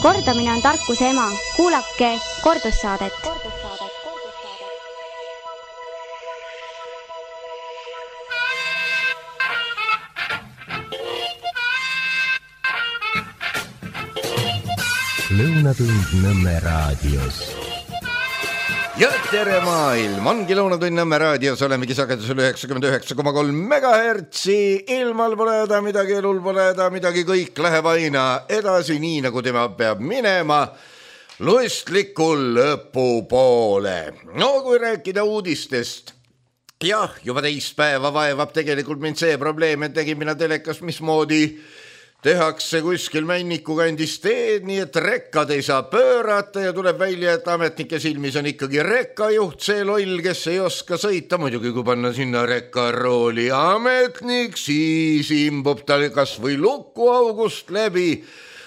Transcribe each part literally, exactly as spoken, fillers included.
Kordamine on tarkuse ema. Kuulake kordussaadet. Lõunatund Nõmme raadios. Ja tere maailm, ongi Lõunatund Nõmme raadios, olemegi sagedusel üheksakümmend üheksa koma kolm megahertsi. Ilmal pole häda midagi, elul pole häda midagi, kõik läheb aina edasi, nii nagu tema peab minema lustlikul lõpu poole. No kui rääkida uudistest, jah, juba teist päeva vaevab tegelikult mind see probleem, et tegin mina telekas, mismoodi tehakse kuskil Männiku kandis teed, nii et rekkad ei saa pöörata ja tuleb välja, et ametnike silmis on ikkagi rekkajuht, see loll, kes ei oska sõita. Muidugi kui panna sinna rekkarooli ametnik, siis imbub tal kas või lukuaugust läbi.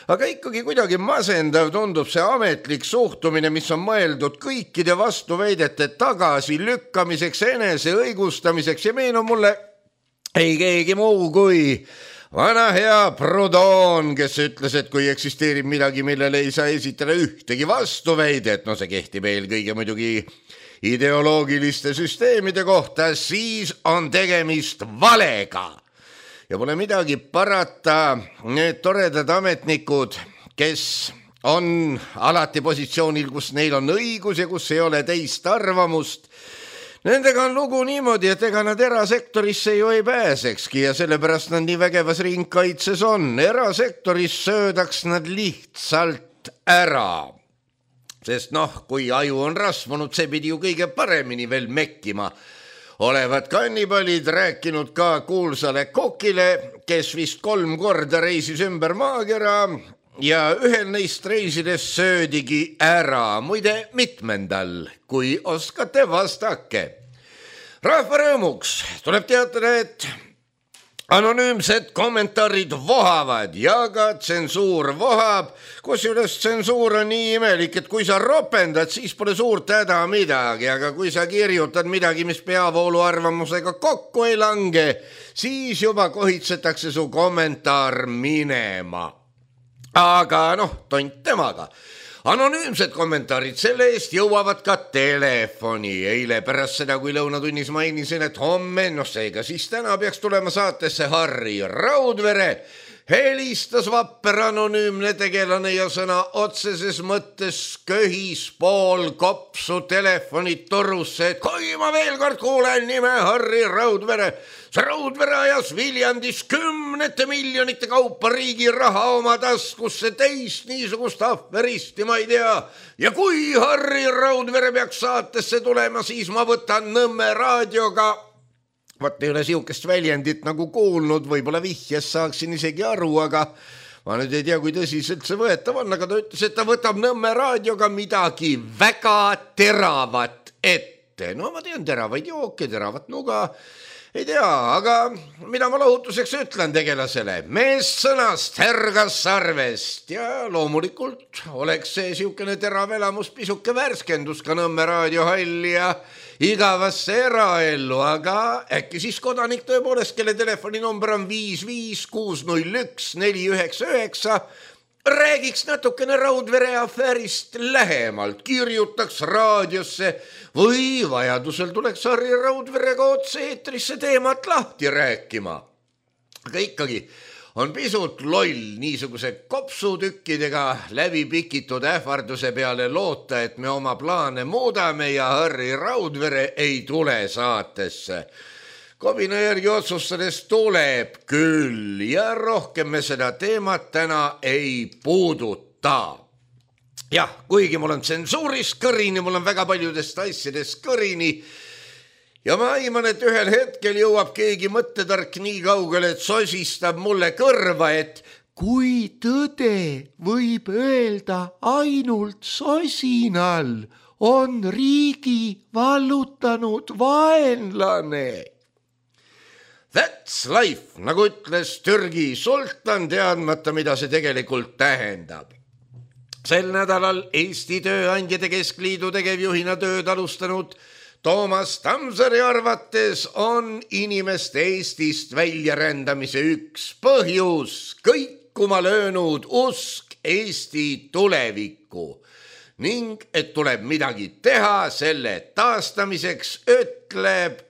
Aga ikkagi kuidagi masendav tundub see ametlik suhtumine, mis on mõeldud kõikide vastuväidete tagasi lükkamiseks, enese õigustamiseks ja meenub mulle ei keegi muu kui vana hea Proudhon, kes ütles, et kui eksisteerib midagi, millele ei saa esitada ühtegi vastuväidet, no see kehtib eelkõige muidugi ideoloogiliste süsteemide kohta, siis on tegemist valega. Ja pole midagi parata, need toredad ametnikud, kes on alati positsioonil, kus neil on õigus ja kus ei ole teist arvamust, nendega on lugu niimoodi, et ega nad erasektorisse ju ei pääsekski ja sellepärast nad nii vägevas ringkaitses on. Erasektoris söödaks nad lihtsalt ära. Sest noh, kui aju on rasvunud, see pidi ju kõige paremini veel mekkima. Olevat kannibalid rääkinud ka kuulsale kokile, kes vist kolm korda reisis ümber maakera ja ühel neist reisides söödigi ära, muide mitmendal, kui oskate vastake. Rahva rõõmuks tuleb teatada, et anonüümsed kommentaarid vohavad ja ka tsensuur vohab, kusjuures tsensuur on nii imelik, et kui sa ropendad, siis pole suurt häda midagi, aga kui sa kirjutad midagi, mis peavoolu arvamusega kokku ei lange, siis juba kohitsetakse su kommentaar minema. Aga noh, tont temaga. Anonüümsed kommentaarid selle eest jõuavad ka telefoni. Eile pärast seda, kui lõunatunnis mainisin, et homme, noh seega siis täna peaks tulema saatesse Harri Raudvere, helistas vapper anonüümne tegelane ja sõna otseses mõttes köhis pool kopsu telefonit torusse, et kui ma veel kord kuulen nime Harri Raudvere, see Raudvere ajas Viljandis kümnete miljonite kaupa riigi raha oma taskusse, teist niisugust ahveristi ma ei tea. Ja kui Harri Raudvere peaks saatesse tulema, siis ma võtan Nõmme raadioga. Vaat ei ole siukest väljendit nagu kuulnud, võib-olla vihjes saaksin isegi aru, aga ma nüüd ei tea, kui tõsiselt see võetav on, aga ta ütles, et ta võtab Nõmme raadioga midagi väga teravat ette. No ma tean teravaid jooke, teravat nuga, ei tea, aga mida ma lohutuseks ütlen tegelasele? Mees sõnast härgas sarvest ja loomulikult oleks see siukene terav elamus pisuke värskendus ka Nõmme raadiohalli ja igavasse eraellu, aga äkki siis kodanik tõepoolest, kelle telefoninumber on viis viis kuus null üks neli üheksa üheksa, räägiks natukene Raudvere afäärist lähemalt, kirjutaks raadiosse või vajadusel tuleks Harri Raudverega otse eetrisse teemat lahti rääkima. Aga ikkagi on pisut loll niisuguse kopsutükkidega läbi pikitud ähvarduse peale loota, et me oma plaane muudame ja Harri Raudvere ei tule saatesse. Kobina järgi otsustades tuleb küll ja rohkem me seda teemat täna ei puuduta. Jah, kuigi mul on tsensuuris kõrini, mul on väga paljudest asjadest kõrini ja ma aiman, et ühel hetkel jõuab keegi mõttetark nii kaugele, et sosistab mulle kõrva, et kui tõde võib öelda ainult sosinal, on riigi vallutanud vaenlane. That's life, nagu ütles Türgi sultan, teadmata, mida see tegelikult tähendab. Sel nädalal Eesti Tööandjate Keskliidu tegevjuhina tööd alustanud Toomas Tamsari arvates on inimeste Eestist väljarändamise üks põhjus kõikuma löönud usk Eesti tulevikku ning et tuleb midagi teha selle taastamiseks, ütleb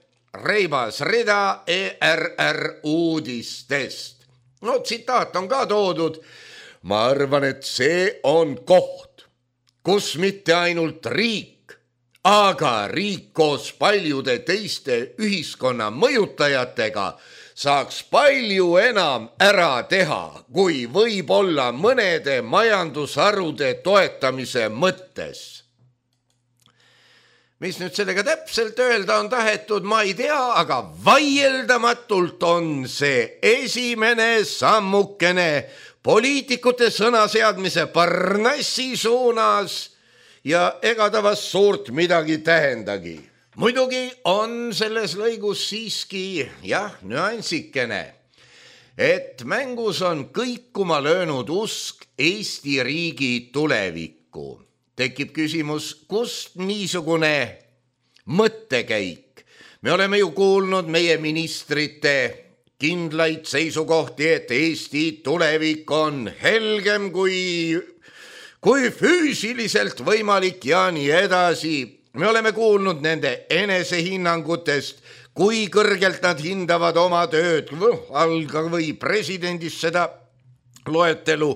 reibas rida E R R uudistest. No tsitaat on ka toodud. Ma arvan, et see on koht, kus mitte ainult riik, aga riik koos paljude teiste ühiskonna mõjutajatega saaks palju enam ära teha, kui võib olla mõnede majandusharude toetamise mõttes. Mis nüüd sellega täpselt öelda on tahetud, ma ei tea, aga vaieldamatult on see esimene sammukene poliitikute sõnaseadmise parnassi suunas ja ega ta vast suurt midagi tähendagi. Muidugi on selles lõigus siiski, jah, nüansikene, et mängus on kõikuma löönud usk Eesti riigi tulevikku. Tekib küsimus, kust niisugune mõttekäik? Me oleme ju kuulnud meie ministrite kindlaid seisukohti, et Eesti tulevik on helgem kui, kui füüsiliselt võimalik ja nii edasi. Me oleme kuulnud nende enesehinnangutest, kui kõrgelt nad hindavad oma tööd, alga või presidendist seda loetelu,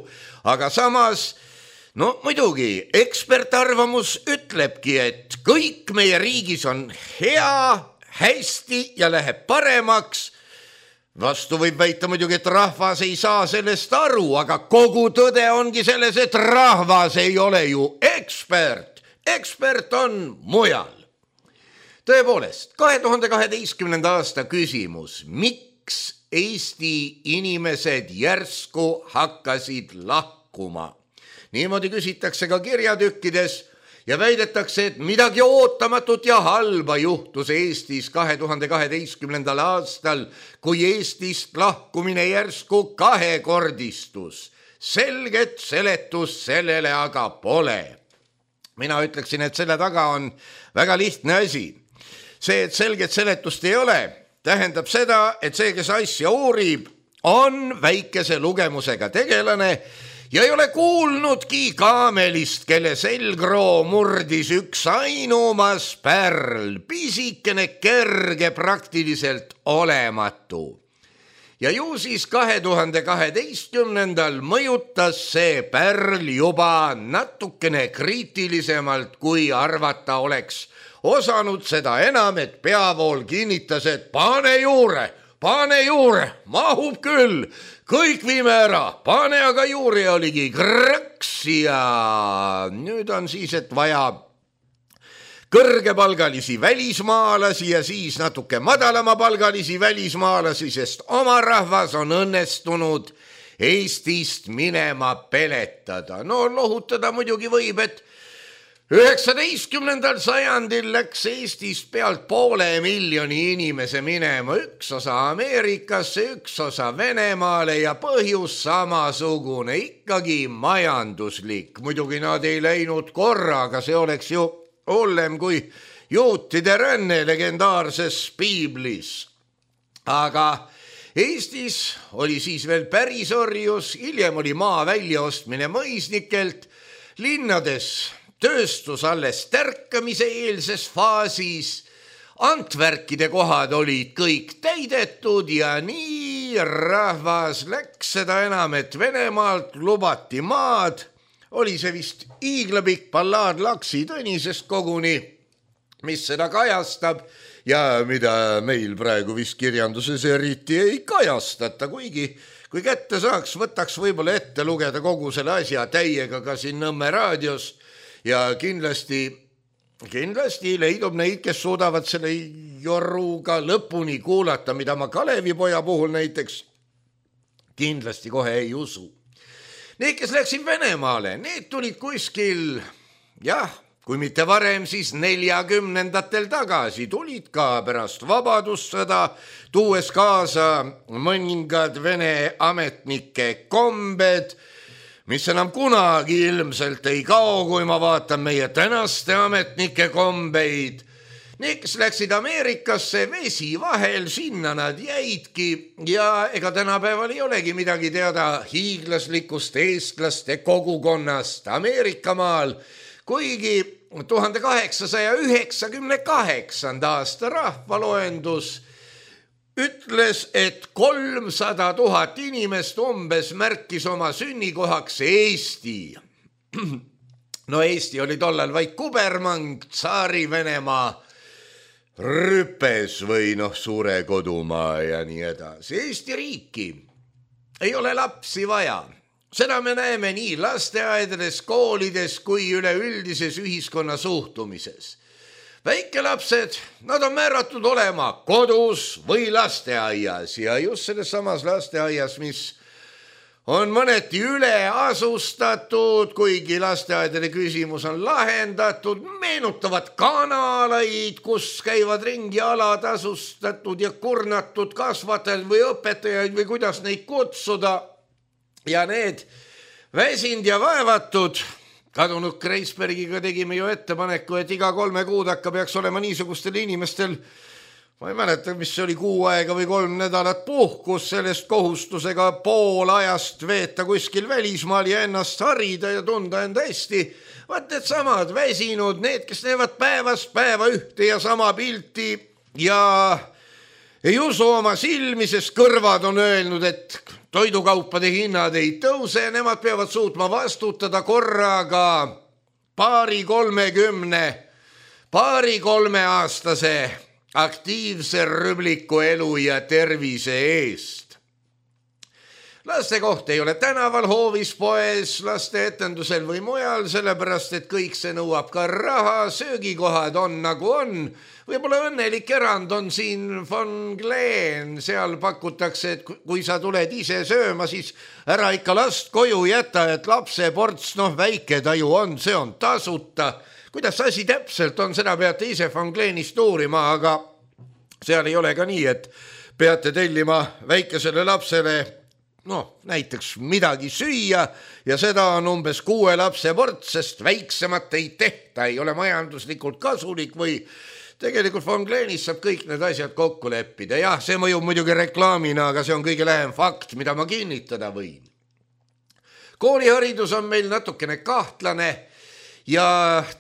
aga samas, no muidugi, ekspertarvamus ütlebki, et kõik meie riigis on hea, hästi ja läheb paremaks. Vastu võib väita muidugi, et rahvas ei saa sellest aru, aga kogu tõde ongi selles, et rahvas ei ole ju ekspert. Ekspert on mujal. Tõepoolest, kahe tuhande kaheteistkümnenda aasta küsimus, miks Eesti inimesed järsku hakkasid lahkuma? Niimoodi küsitakse ka kirjatükkides ja väidetakse, et midagi ootamatut ja halba juhtus Eestis kahe tuhande kaheteistkümnendal aastal, kui Eestist lahkumine järsku kahekordistus. Selget seletust sellele aga pole. Mina ütleksin, et selle taga on väga lihtne asi. See, et selget seletust ei ole, tähendab seda, et see, kes asja uurib, on väikese lugemusega tegelane ja ei ole kuulnudki kaamelist, kelle selgroo murdis üks ainumas pärl, pisikene, kerge, praktiliselt olematu. Ja ju siis kahe tuhande kaheteistkümnendal mõjutas see pärl juba natukene kriitilisemalt, kui arvata oleks osanud, seda enam, et peavool kinnitas, et pane juure, pane juure, mahub küll, kõik viime ära, pane aga juurde oligi krõks ja nüüd on siis, et vaja kõrgepalgalisi välismaalasi ja siis natuke madalamapalgalisi välismaalasi, sest oma rahvas on õnnestunud Eestist minema peletada. No lohutada muidugi võib, et üheksateistkümnendal sajandil läks Eestist pealt poole miljoni inimese minema, üks osa Ameerikasse, üks osa Venemaale ja põhjus samasugune, ikkagi majanduslik. Muidugi nad ei läinud korraga, see oleks ju hullem kui juutide ränne legendaarses piiblis. Aga Eestis oli siis veel päris orjus, hiljem oli maa väljaostmine mõisnikelt, linnades tööstus alles tärkamise eelses faasis, Antvärkide kohad olid kõik täidetud ja nii rahvas läks, seda enam, et Venemaalt lubati maad. Oli see vist iiglapikk ballaad Laksi Tõnisest koguni, mis seda kajastab ja mida meil praegu vist kirjanduses eriti ei kajastata, kuigi kui kätte saaks, võtaks võib-olla ette lugeda kogu selle asja täiega ka siin Nõmme raadios ja kindlasti, kindlasti leidub neid, kes suudavad selle joruga lõpuni kuulata, mida ma Kalevipoja puhul näiteks kindlasti kohe ei usu. Need, kes läksid Venemaale, need tulid kuskil, jah, kui mitte varem, siis neljakümnendatel tagasi, tulid ka pärast vabadussõda, tuues kaasa mõningad Vene ametnike kombed, mis enam kunagi ilmselt ei kao, kui ma vaatan meie tänaste ametnike kombeid. Need, kes läksid Ameerikasse, vesi vahel, sinna nad jäidki ja ega tänapäeval ei olegi midagi teada hiiglaslikust eestlaste kogukonnast Ameerikamaal, kuigi tuhande kaheksasaja üheksakümne kaheksanda aasta rahvaloendus ütles, et kolmsada tuhat inimest umbes märkis oma sünnikohaks Eesti. No Eesti oli tollal vaid kubermang, Tsaari-Venemaa rüpes või noh, suure kodumaa ja nii edasi. Eesti riiki ei ole lapsi vaja. Seda me näeme nii lasteaedades, koolides kui üleüldises ühiskonna suhtumises. Väikelapsed, nad on määratud olema kodus või lasteaias ja just selles samas lasteaias, mis on mõneti üle asustatud, kuigi lasteaedade küsimus on lahendatud, meenutavad kanalaid, kus käivad ringi alatasustatud ja kurnatud kasvatajad või õpetajaid või kuidas neid kutsuda. Ja need väsind ja vaevatud, kadunud Kreisbergiga tegime ju ettepaneku, et iga kolme kuud hakka peaks olema niisugustel inimestel, ma ei mäleta, mis see oli, kuu aega või kolm nädalat puhkus sellest kohustusega pool ajast veeta kuskil välismaal ja ennast harida ja tunda enda hästi. Vaat need samad väsinud, need, kes näevad päevast päeva ühte ja sama pilti ja ei usu oma silmi, sest kõrvad on öelnud, et toidukaupade hinnad ei tõuse, nemad peavad suutma vastutada korraga paari kolmekümne, paari kolme aastase aktiivse rübliku elu ja tervise eest. Laste koht ei ole tänaval, hoovis, poes, laste etendusel või mujal, sellepärast, et kõik see nõuab ka raha, söögikohad on nagu on. Võib-olla õnnelik erand on siin Von Glen, seal pakutakse, et kui sa tuled ise sööma, siis ära ikka last koju jäta, et lapse ports, noh väike taju on, see on tasuta. Kuidas asi täpselt on, seda peate ise Von Glenist uurima, aga seal ei ole ka nii, et peate tellima väikesele lapsele noh, näiteks midagi süüa ja seda on umbes kuue lapse ports, sest väiksemat ei tehta, ei ole majanduslikult kasulik või tegelikult Von Glenis saab kõik need asjad kokku leppida. Jah, see mõjub muidugi reklaamina, aga see on kõige lähem fakt, mida ma kinnitada võin. Kooliharidus on meil natukene kahtlane ja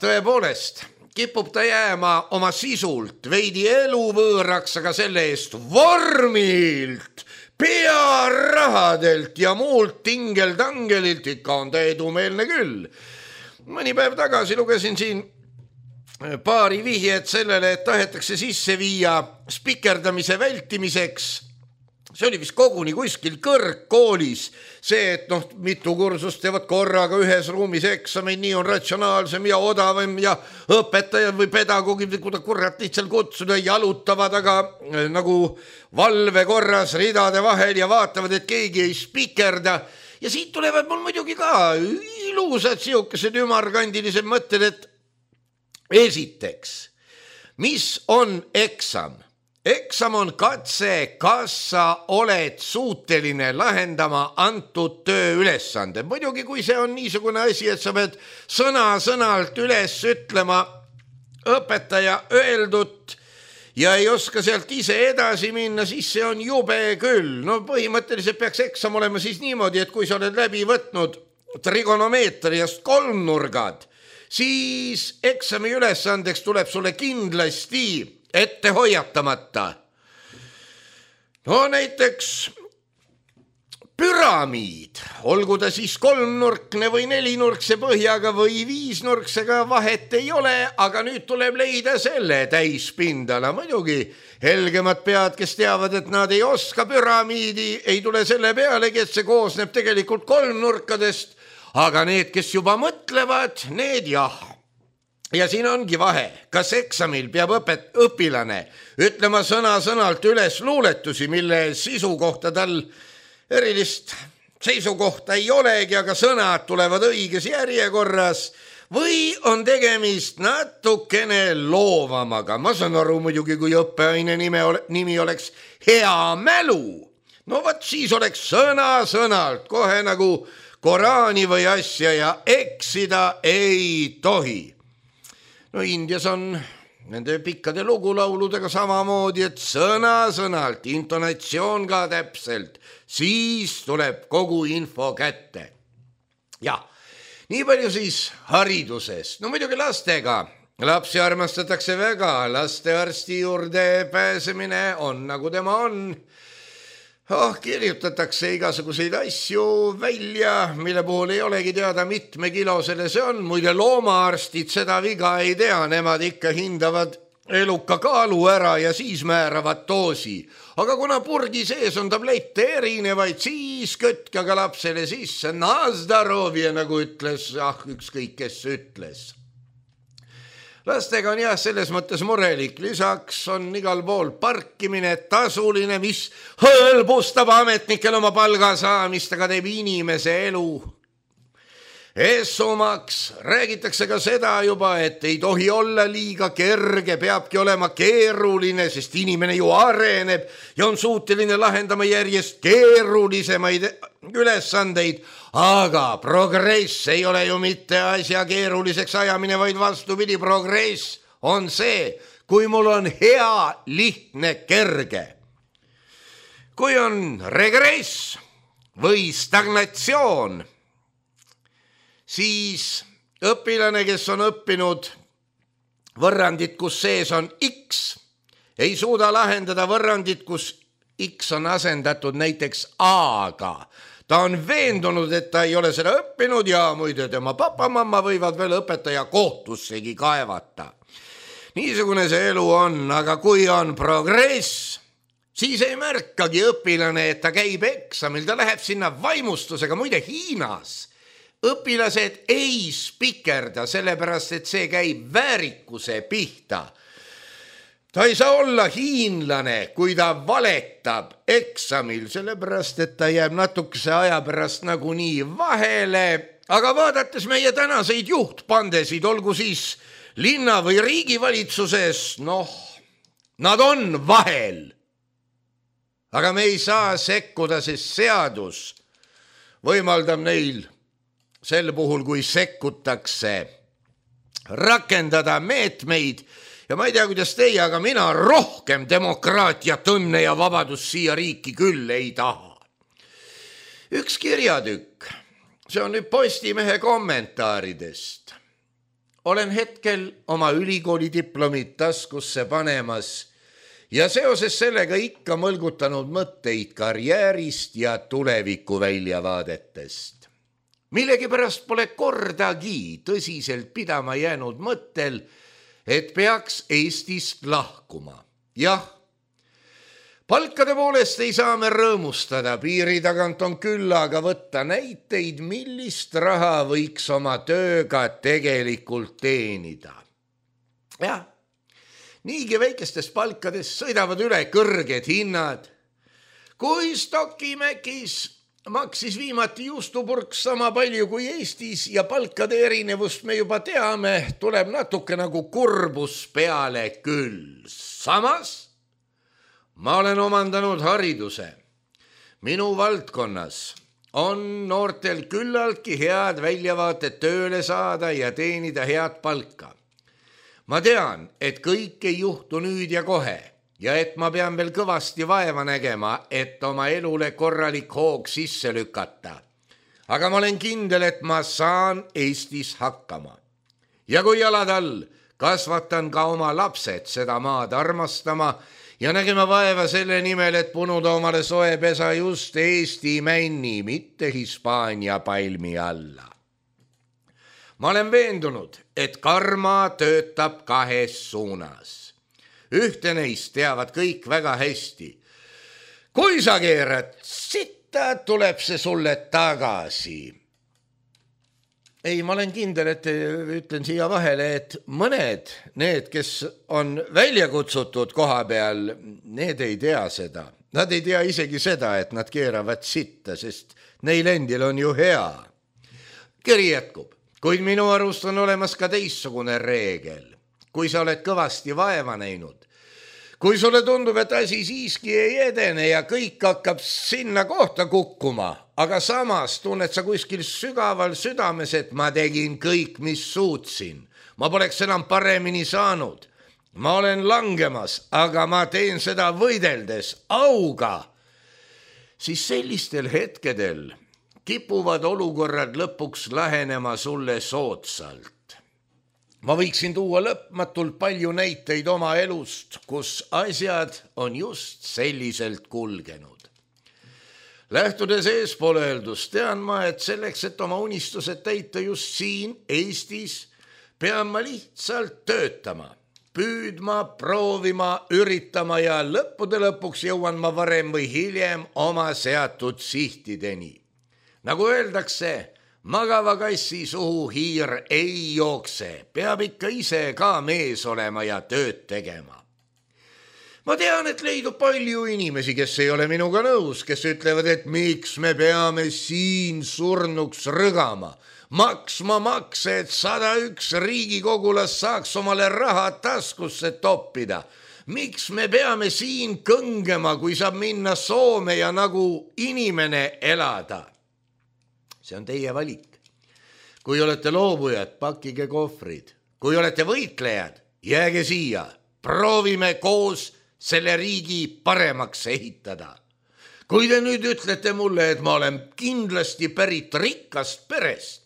tõepoolest kipub ta jääma oma sisult veidi eluvõõraks, aga selle eest vormilt, pearahadelt ja muult tingeldangelilt ikka on ta edumeelne küll. Mõni päev tagasi lugesin siin paari vihjet sellele, et tahetakse sisse viia spikerdamise vältimiseks. See oli vist koguni kuskil kõrgkoolis. See, et noh, mitu kursust teevad korraga ühes ruumis eksameid, nii on ratsionaalsem ja odavam ja õpetajad või pedagoogid, kuda kurat lihtsalt kutsuda, jalutavad, aga nagu valve korras ridade vahel ja vaatavad, et keegi ei spikerda. Ja siit tulevad mul muidugi ka ilusad siukesed ümarkandilised mõtted, et esiteks, mis on eksam? Eksam on katse, kas sa oled suuteline lahendama antud tööülesande. Muidugi, kui see on niisugune asi, et sa pead sõna-sõnalt üles ütlema õpetaja öeldut ja ei oska sealt ise edasi minna, siis see on jube küll. No põhimõtteliselt peaks eksam olema siis niimoodi, et kui sa oled läbi võtnud trigonomeetriast kolmnurgad, siis eksami ülesandeks tuleb sulle kindlasti ette hoiatamata. No näiteks püramiid, olgu ta siis kolmnurkne või nelinurkse põhjaga või viisnurksega, vahet ei ole, aga nüüd tuleb leida selle täispindala. Muidugi helgemad pead, kes teavad, et nad ei oska püramiidi, ei tule selle pealegi, et see koosneb tegelikult kolmnurkadest, aga need, kes juba mõtlevad, need jah. Ja siin ongi vahe, kas eksamil peab õpet, õpilane ütlema sõna-sõnalt üles luuletusi, mille sisu kohta tal erilist seisukohta ei olegi, aga sõnad tulevad õiges järjekorras, või on tegemist natukene loovamaga. Ma saan aru muidugi, kui õppeaine nime, nimi oleks hea mälu. No võt siis oleks sõna-sõnalt kohe nagu Koraani või asja ja eksida ei tohi. No Indias on nende pikkade lugulauludega samamoodi, et sõna-sõnalt, intonatsioon ka täpselt, siis tuleb kogu info kätte. Ja, nii palju siis haridusest. No muidugi lastega. Lapsi armastatakse väga, lastearsti juurde pääsemine on nagu tema on. Oh, kirjutatakse igasuguseid asju välja, mille puhul ei olegi teada mitme kilosele see on. Muide loomaarstid seda viga ei tea, nemad ikka hindavad eluka kaalu ära ja siis määravad doosi. Aga kuna purgi sees on tablette erinevaid, siis kötka ka lapsele sisse. Na zdarovje, nagu ütles, ah, ükskõik kes ütles. Lastega on jah selles mõttes murelik, lisaks on igal pool parkimine tasuline, mis hõlbustab ametnikel oma palga saamist, aga teeb inimese elu eessumaks. Räägitakse ka seda juba, et ei tohi olla liiga kerge, peabki olema keeruline, sest inimene ju areneb ja on suuteline lahendama järjest keerulisemaid ülesandeid. Aga progress ei ole ju mitte asja keeruliseks ajamine, vaid vastupidi, progress on see, kui mul on hea, lihtne, kerge. Kui on regress või stagnatsioon, siis õpilane, kes on õppinud võrrandit, kus sees on X, ei suuda lahendada võrrandit, kus X on asendatud näiteks A-ga. Ta on veendunud, et ta ei ole seda õppinud ja muide tema papa-mamma võivad veel õpetaja kohtussegi kaevata. Niisugune see elu on, aga kui on progress, siis ei märkagi õpilane, et ta käib eksamil, ta läheb sinna vaimustusega. Muide Hiinas õpilased ei spikerda, sellepärast et see käib väärikuse pihta. Ta ei saa olla hiinlane, kui ta valetab eksamil, sellepärast et ta jääb natukese aja pärast nagu nii vahele. Aga vaadates meie tänaseid juhtpandesid, olgu siis linna või riigivalitsuses, noh, nad on vahel. Aga me ei saa sekkuda, sest seadus võimaldab neil sel puhul, kui sekkutakse, rakendada meetmeid. Ja ma ei tea, kuidas teie, aga mina rohkem demokraatiat, õnne ja vabadus siia riiki küll ei taha. Üks kirjatükk, see on nüüd Postimehe kommentaaridest. Olen hetkel oma ülikooli diplomit taskusse panemas ja seoses sellega ikka mõlgutanud mõtteid karjäärist ja tuleviku väljavaadetest. Millegi pärast pole kordagi tõsiselt pidama jäänud mõttel, et peaks Eestist lahkuma. Jah, palkade poolest ei saa me rõõmustada, piiri tagant on küll, aga võtta näiteid, millist raha võiks oma tööga tegelikult teenida. Jah, niigi väikestest palkadest sõidavad üle kõrged hinnad. Kui Stokimäkis maksis viimati juustupurk sama palju kui Eestis ja palkade erinevust me juba teame, tuleb natuke nagu kurbus peale küll. Samas ma olen omandanud hariduse. Minu valdkonnas on noortel küllaltki head väljavaated tööle saada ja teenida head palka. Ma tean, et kõik ei juhtu nüüd ja kohe. Ja et ma pean veel kõvasti vaeva nägema, et oma elule korralik hoog sisse lükata. Aga ma olen kindel, et ma saan Eestis hakkama. Ja kui jalad all, kasvatan ka oma lapsed seda maad armastama ja nägema vaeva selle nimel, et punuda omale soepesa just Eesti männi, mitte Hispaania palmi alla. Ma olen veendunud, et karma töötab kahes suunas. Ühte neist teavad kõik väga hästi. Kui sa keerad sitta, tuleb see sulle tagasi. Ei, ma olen kindel, et ütlen siia vahele, et mõned, need, kes on välja kutsutud koha peal, need ei tea seda. Nad ei tea isegi seda, et nad keeravad sitta, sest neil endil on ju hea. Kiri jätkub, kuid minu arust on olemas ka teissugune reegel. Kui sa oled kõvasti vaeva näinud, kui sulle tundub, et asi siiski ei edene ja kõik hakkab sinna kohta kukkuma, aga samas tunned sa kuskil sügaval südames, et ma tegin kõik, mis suutsin. Ma poleks enam paremini saanud. ma olen langemas, aga ma teen seda võideldes auga, siis sellistel hetkedel kipuvad olukorrad lõpuks lähenema sulle soodsalt. Ma võiksin tuua lõpmatult palju näiteid oma elust, kus asjad on just selliselt kulgenud. Lähtudes eespool öeldust, tean ma, et selleks, et oma unistused täita just siin Eestis, pean ma lihtsalt töötama, püüdma, proovima, üritama ja lõppude lõpuks jõuan ma varem või hiljem oma seatud sihtideni. Nagu öeldakse, magava kassi suhu hiir ei jookse, peab ikka ise ka mees olema ja tööd tegema. Ma tean, et leidub palju inimesi, kes ei ole minuga nõus, kes ütlevad, et miks me peame siin surnuks rõgama, maksma makse, et sada üks riigikogulas saaks omale raha taskusse toppida. Miks me peame siin kõngema, kui saab minna Soome ja nagu inimene elada? See on teie valik. Kui olete loobujad, pakkige kohvrid. Kui olete võitlejad, jääge siia. Proovime koos selle riigi paremaks ehitada. Kui te nüüd ütlete mulle, et ma olen kindlasti pärit rikkast perest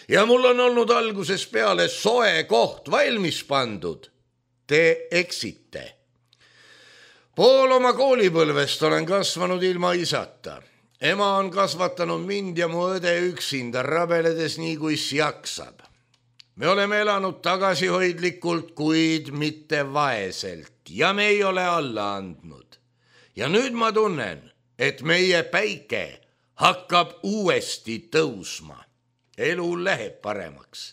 ja mul on olnud alguses peale soe koht valmis pandud, te eksite. Pool oma koolipõlvest olen kasvanud ilma isata. Ema on kasvatanud mind ja mu õde üksinda rabeledes nii, kui jaksab. Me oleme elanud tagasihoidlikult, kuid mitte vaeselt ja me ei ole alla andnud. Ja nüüd ma tunnen, et meie päike hakkab uuesti tõusma. Elu läheb paremaks.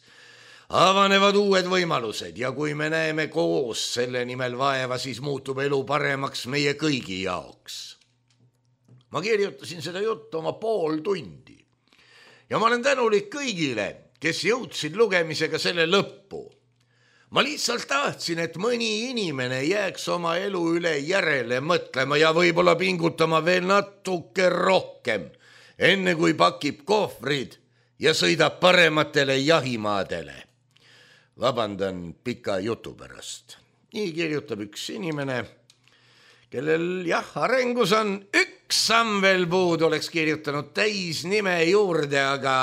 Avanevad uued võimalused ja kui me näeme koos selle nimel vaeva, siis muutub elu paremaks meie kõigi jaoks. Ma kirjutasin seda juttu oma pool tundi ja ma olen tänulik kõigile, kes jõudsid lugemisega selle lõppu. Ma lihtsalt tahtsin, et mõni inimene jääks oma elu üle järele mõtlema ja võib-olla pingutama veel natuke rohkem, enne kui pakib kohvrid ja sõidab parematele jahimaadele. Vabandan pika jutu pärast. Nii kirjutab üks inimene, kellel jah, arengus on üks samm veel puud, oleks kirjutanud täis nime juurde, aga,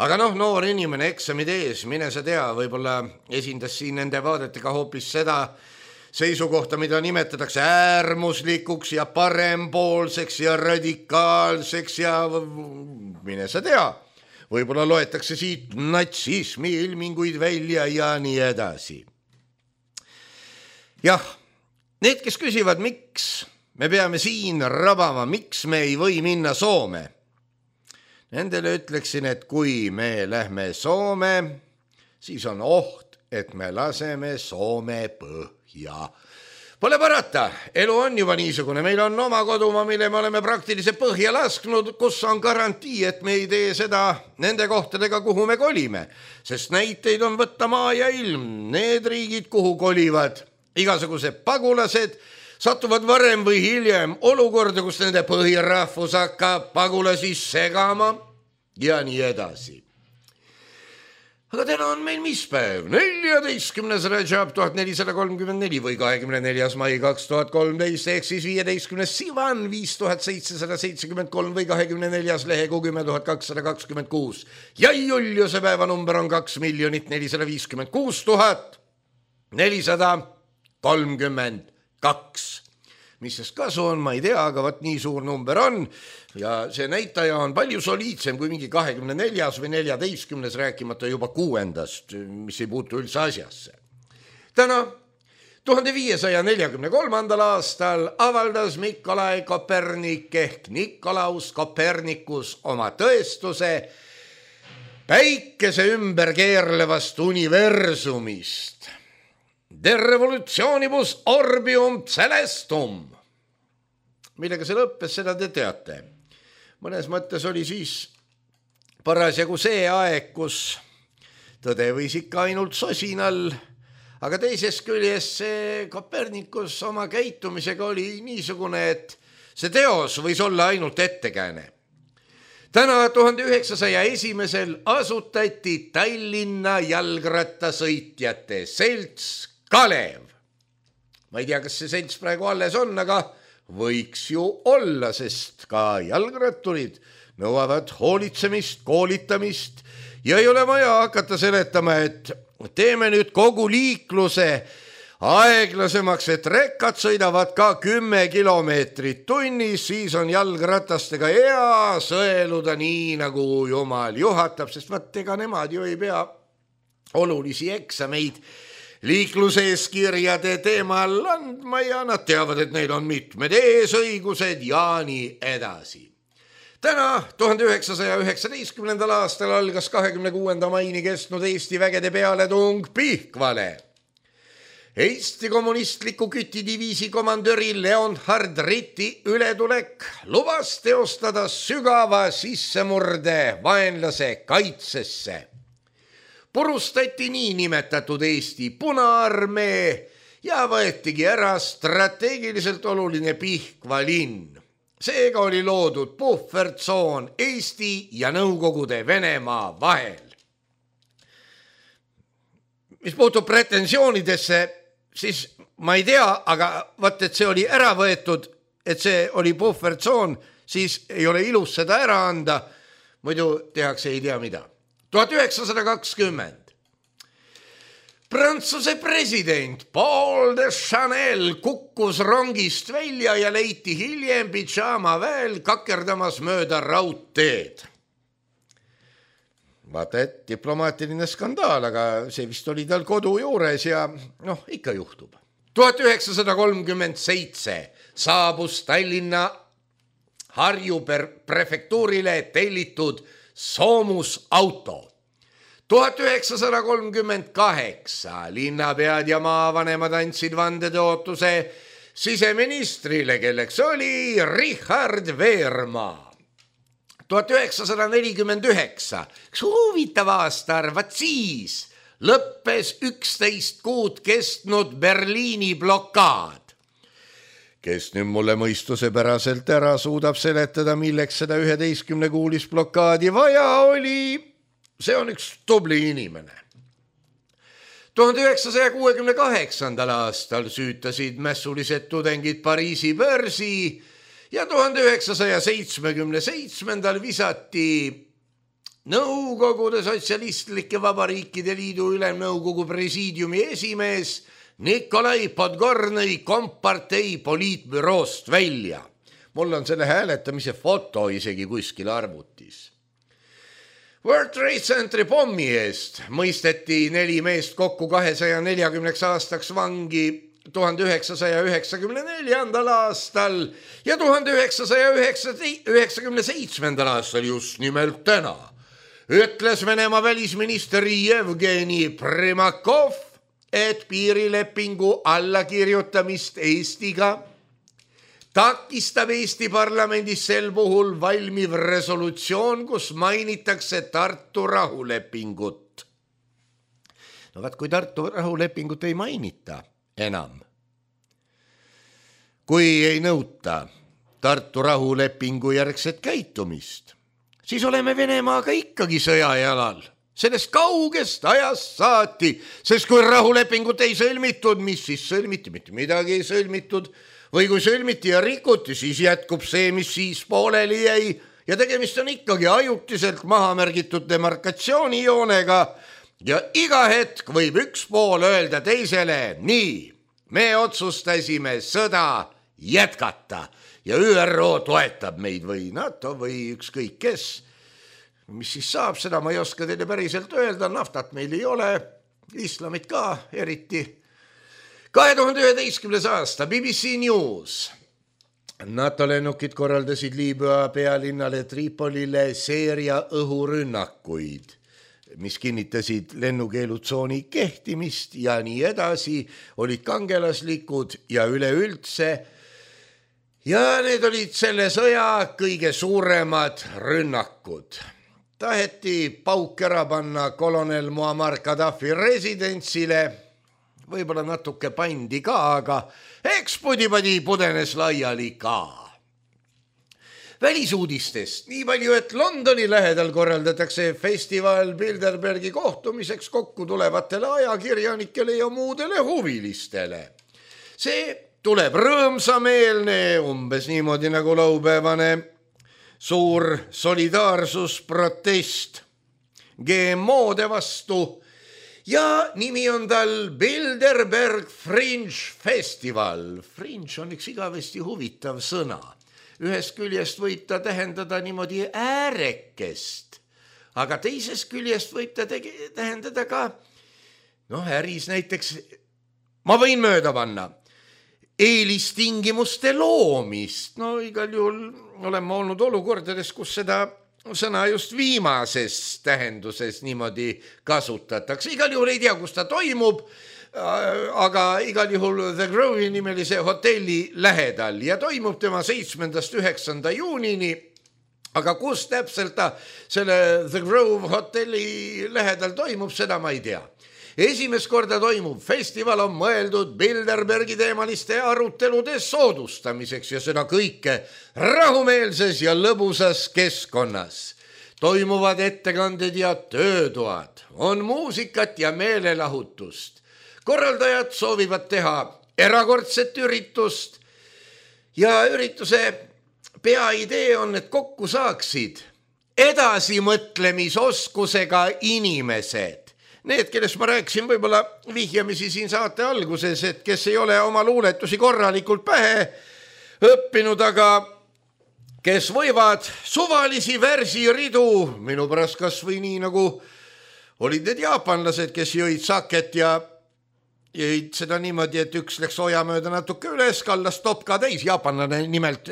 aga noh, noor inimene eksamid ees, mine sa tea, võib-olla esindas siin nende vaadetega hoopis seda seisukohta, mida nimetatakse äärmuslikuks ja parempoolseks ja radikaalseks ja mine sa tea, võib-olla loetakse siit natsismi ilminguid välja ja nii edasi. Jah, need, kes küsivad, miks me peame siin rabama, miks me ei või minna Soome. Nendele ütleksin, et kui me lähme Soome, siis on oht, et me laseme Soome põhja. Pole parata, elu on juba niisugune, meil on oma kodumaa, mille me oleme praktiliselt põhja lasknud, kus on garantii, et me ei tee seda nende kohtadega, kuhu me kolime, sest näiteid on võtta maa ja ilm, need riigid, kuhu kolivad igasugused pagulased, satuvad varem või hiljem olukorda, kus nende põhirahvus hakkab pagulasi segama ja nii edasi. Aga täna on meil mis päev? neljateistkümnes Rajab tuhat nelisada kolmkümmend neli või kahekümne neljas mai kaks tuhat kolmteist ehk siis viieteistkümnes Sivan viis tuhat seitsesada seitsekümmend kolm või kahekümne neljas lehekuu kümme tuhat kakssada kakskümmend kuus. Ja Juliuse päevanumber on kaks miljonit nelisada viiskümmend kuus tuhat nelisada kolmkümmend kaks. Mis sest kasu on, ma ei tea, aga võt nii suur number on ja see näitaja on palju soliidsem kui mingi kahekümne neljas või neljateistkümnes, rääkimata juba kuuendast, mis ei puutu üldse asjasse. Täna tuhande viiesaja neljakümne kolmandal aastal avaldas Nikolai Kopernik ehk Nikolaus Kopernikus oma tõestuse päikese ümber keerlevast universumist. De revolutsionibus orbium celestum. Millega see lõppes, seda te teate. Mõnes mõttes oli siis parasjagu see aeg, kus tõde võis ikka ainult sosinal, aga teisest küljest see Kopernikus oma käitumisega oli niisugune, et see teos võis olla ainult ettekääne. Täna tuhande üheksasaja esimesel asutati Tallinna jalgrattasõitjate selts Kalev. ma ei tea, kas see selts praegu alles on, aga võiks ju olla, sest ka jalgratturid nõuavad hoolitsemist, koolitamist ja ei ole vaja hakata seletama, et teeme nüüd kogu liikluse aeglasemaks, et rekkad sõidavad ka kümme kilomeetrit tunnis, siis on jalgratastega hea sõeluda nii, nagu jumal juhatab, sest vaat ega nemad ju ei pea olulisi eksameid liikluseeskirjade teemal andma ja nad teavad, et neil on mitmed eesõigused ja nii edasi. Täna tuhande üheksasaja üheksateistkümnendal aastal algas kahekümne kuuenda maini kestnud Eesti vägede pealetung Pihkvale. Eesti kommunistliku kütidiviisi komandöri Leonhard Ritti ületulek lubas teostada sügava sissemurde vaenlase kaitsesse. Purustati nii nimetatud Eesti Punaarmee ja võetigi ära strateegiliselt oluline Pihkva linn. Seega oli loodud puhvertsoon Eesti ja Nõukogude Venemaa vahel. Mis puutub pretensioonidesse, siis ma ei tea, aga vaat, et see oli ära võetud, et see oli puhvertsoon, siis ei ole ilus seda ära anda, muidu tehakse ei tea mida. tuhat üheksasada kakskümmend. Prantsuse president Paul de Chanel kukkus rongist välja ja leiti hiljem pidžaama väel kakerdamas mööda raudteed. Vaata, et diplomaatiline skandaal, aga see vist oli tal kodu juures ja noh, ikka juhtub. tuhat üheksasada kolmkümmend seitse saabus Tallinna Harju prefektuurile tellitud soomusauto. tuhat üheksasada kolmkümmend kaheksa linnapead ja maavanemad andsid vandetõotuse siseministrile, kelleks oli Richard Veermaa. tuhat üheksasada nelikümmend üheksa, üks huvitav aastaarv, vaat siis lõppes üksteist kuud kestnud Berliini blokaad. Kes nüüd mulle mõistusepäraselt ära suudab seletada, milleks seda üheteistkümne kuulis blokaadi vaja oli, see on üks tubli inimene. tuhande üheksasaja kuuekümne kaheksandal aastal süütasid mässulised tudengid Pariisi börsi ja tuhande üheksasaja seitsmekümne seitsmendal visati Nõukogude Sotsialistlike Vabariikide Liidu Ülemnõukogu presiidiumi esimees Nikolai Podgornõi kompartei poliitbüroost välja. Mul on selle hääletamise foto isegi kuskil arvutis. World Trade Centeri pommi eest mõisteti neli meest kokku kahesaja neljakümneks aastaks vangi tuhande üheksasaja üheksakümne neljandal aastal ja tuhande üheksasaja üheksakümne seitsmendal aastal just nimelt täna ütles Venemaa välisminister Jevgeni Primakov, et piirilepingu allakirjutamist Eestiga takistab Eesti parlamendis sel puhul valmiv resolutsioon, kus mainitakse Tartu rahulepingut. No vaat, kui Tartu rahulepingut ei mainita enam, kui ei nõuta Tartu rahulepingu järgset käitumist, siis oleme Venemaaga ikkagi sõjajalal. Sellest kaugest ajast saati, sest kui rahulepingut ei sõlmitud, mis siis sõlmiti, mitte midagi ei sõlmitud, või kui sõlmiti ja rikuti, siis jätkub see, mis siis pooleli jäi ja tegemist on ikkagi ajutiselt maha märgitud demarkatsioonijoonega ja iga hetk võib üks pool öelda teisele, nii, me otsustasime sõda jätkata ja Ü R O toetab meid või NATO või ükskõik kes. Mis siis saab, seda ma ei oska teile päriselt öelda, naftat meil ei ole, islamit ka eriti. kahe tuhande üheteistkümnes aasta B B C News. NATO lennukid korraldasid Liibüa pealinnale Tripolile seeria õhurünnakuid, mis kinnitasid lennukeelutsooni kehtimist ja nii edasi, olid kangelaslikud ja üleüldse. Ja need olid selle sõja kõige suuremad rünnakud. Taheti pauk ära panna kolonel Muammar Gaddafi residentsile, võib-olla natuke pandi ka, aga eks pudi-padi pudenes laiali ka. Välisuudistest nii palju, et Londoni lähedal korraldatakse festival Bilderbergi kohtumiseks kokku tulevatele ajakirjanikele ja muudele huvilistele. see tuleb rõõmsameelne, umbes niimoodi nagu laupäevane suur solidaarsusprotest G M O-de vastu ja nimi on tal Bilderberg Fringe Festival. Fringe on üks igavesti huvitav sõna. Ühest küljest võib ta tähendada niimoodi äärekest, aga teisest küljest võib ta tege- tähendada ka, noh, äris näiteks, ma võin mööda panna, eelistingimuste loomist. No igal juhul oleme olnud olukordades, kus seda sõna just viimases tähenduses niimoodi kasutatakse. Igal juhul ei tea, kus ta toimub, aga igal juhul The Grove'i nimelise hotelli lähedal ja toimub tema seitsmendast üheksanda juunini. Aga kus täpselt ta selle The Grove hotelli lähedal toimub, seda ma ei tea. Esimest korda toimub festival on mõeldud Bilderbergi teemaliste arutelude soodustamiseks ja seda kõike rahumeelses ja lõbusas keskkonnas. Toimuvad ettekanded ja töötoad, on muusikat ja meelelahutust. Korraldajad soovivad teha erakordset üritust ja ürituse peaidee on, et kokku saaksid edasimõtlemisoskusega inimesed. Need, kellest ma rääkisin võib-olla vihjamisi siin saate alguses, et kes ei ole oma luuletusi korralikult pähe õppinud, aga kes võivad suvalisi versiridu, minu pärast kas või nii nagu olid need jaapanlased, kes jõid saket ja jõid seda niimoodi, et üks läks oja mööda natuke üles, kallas topka täis. Jaapanlane nimelt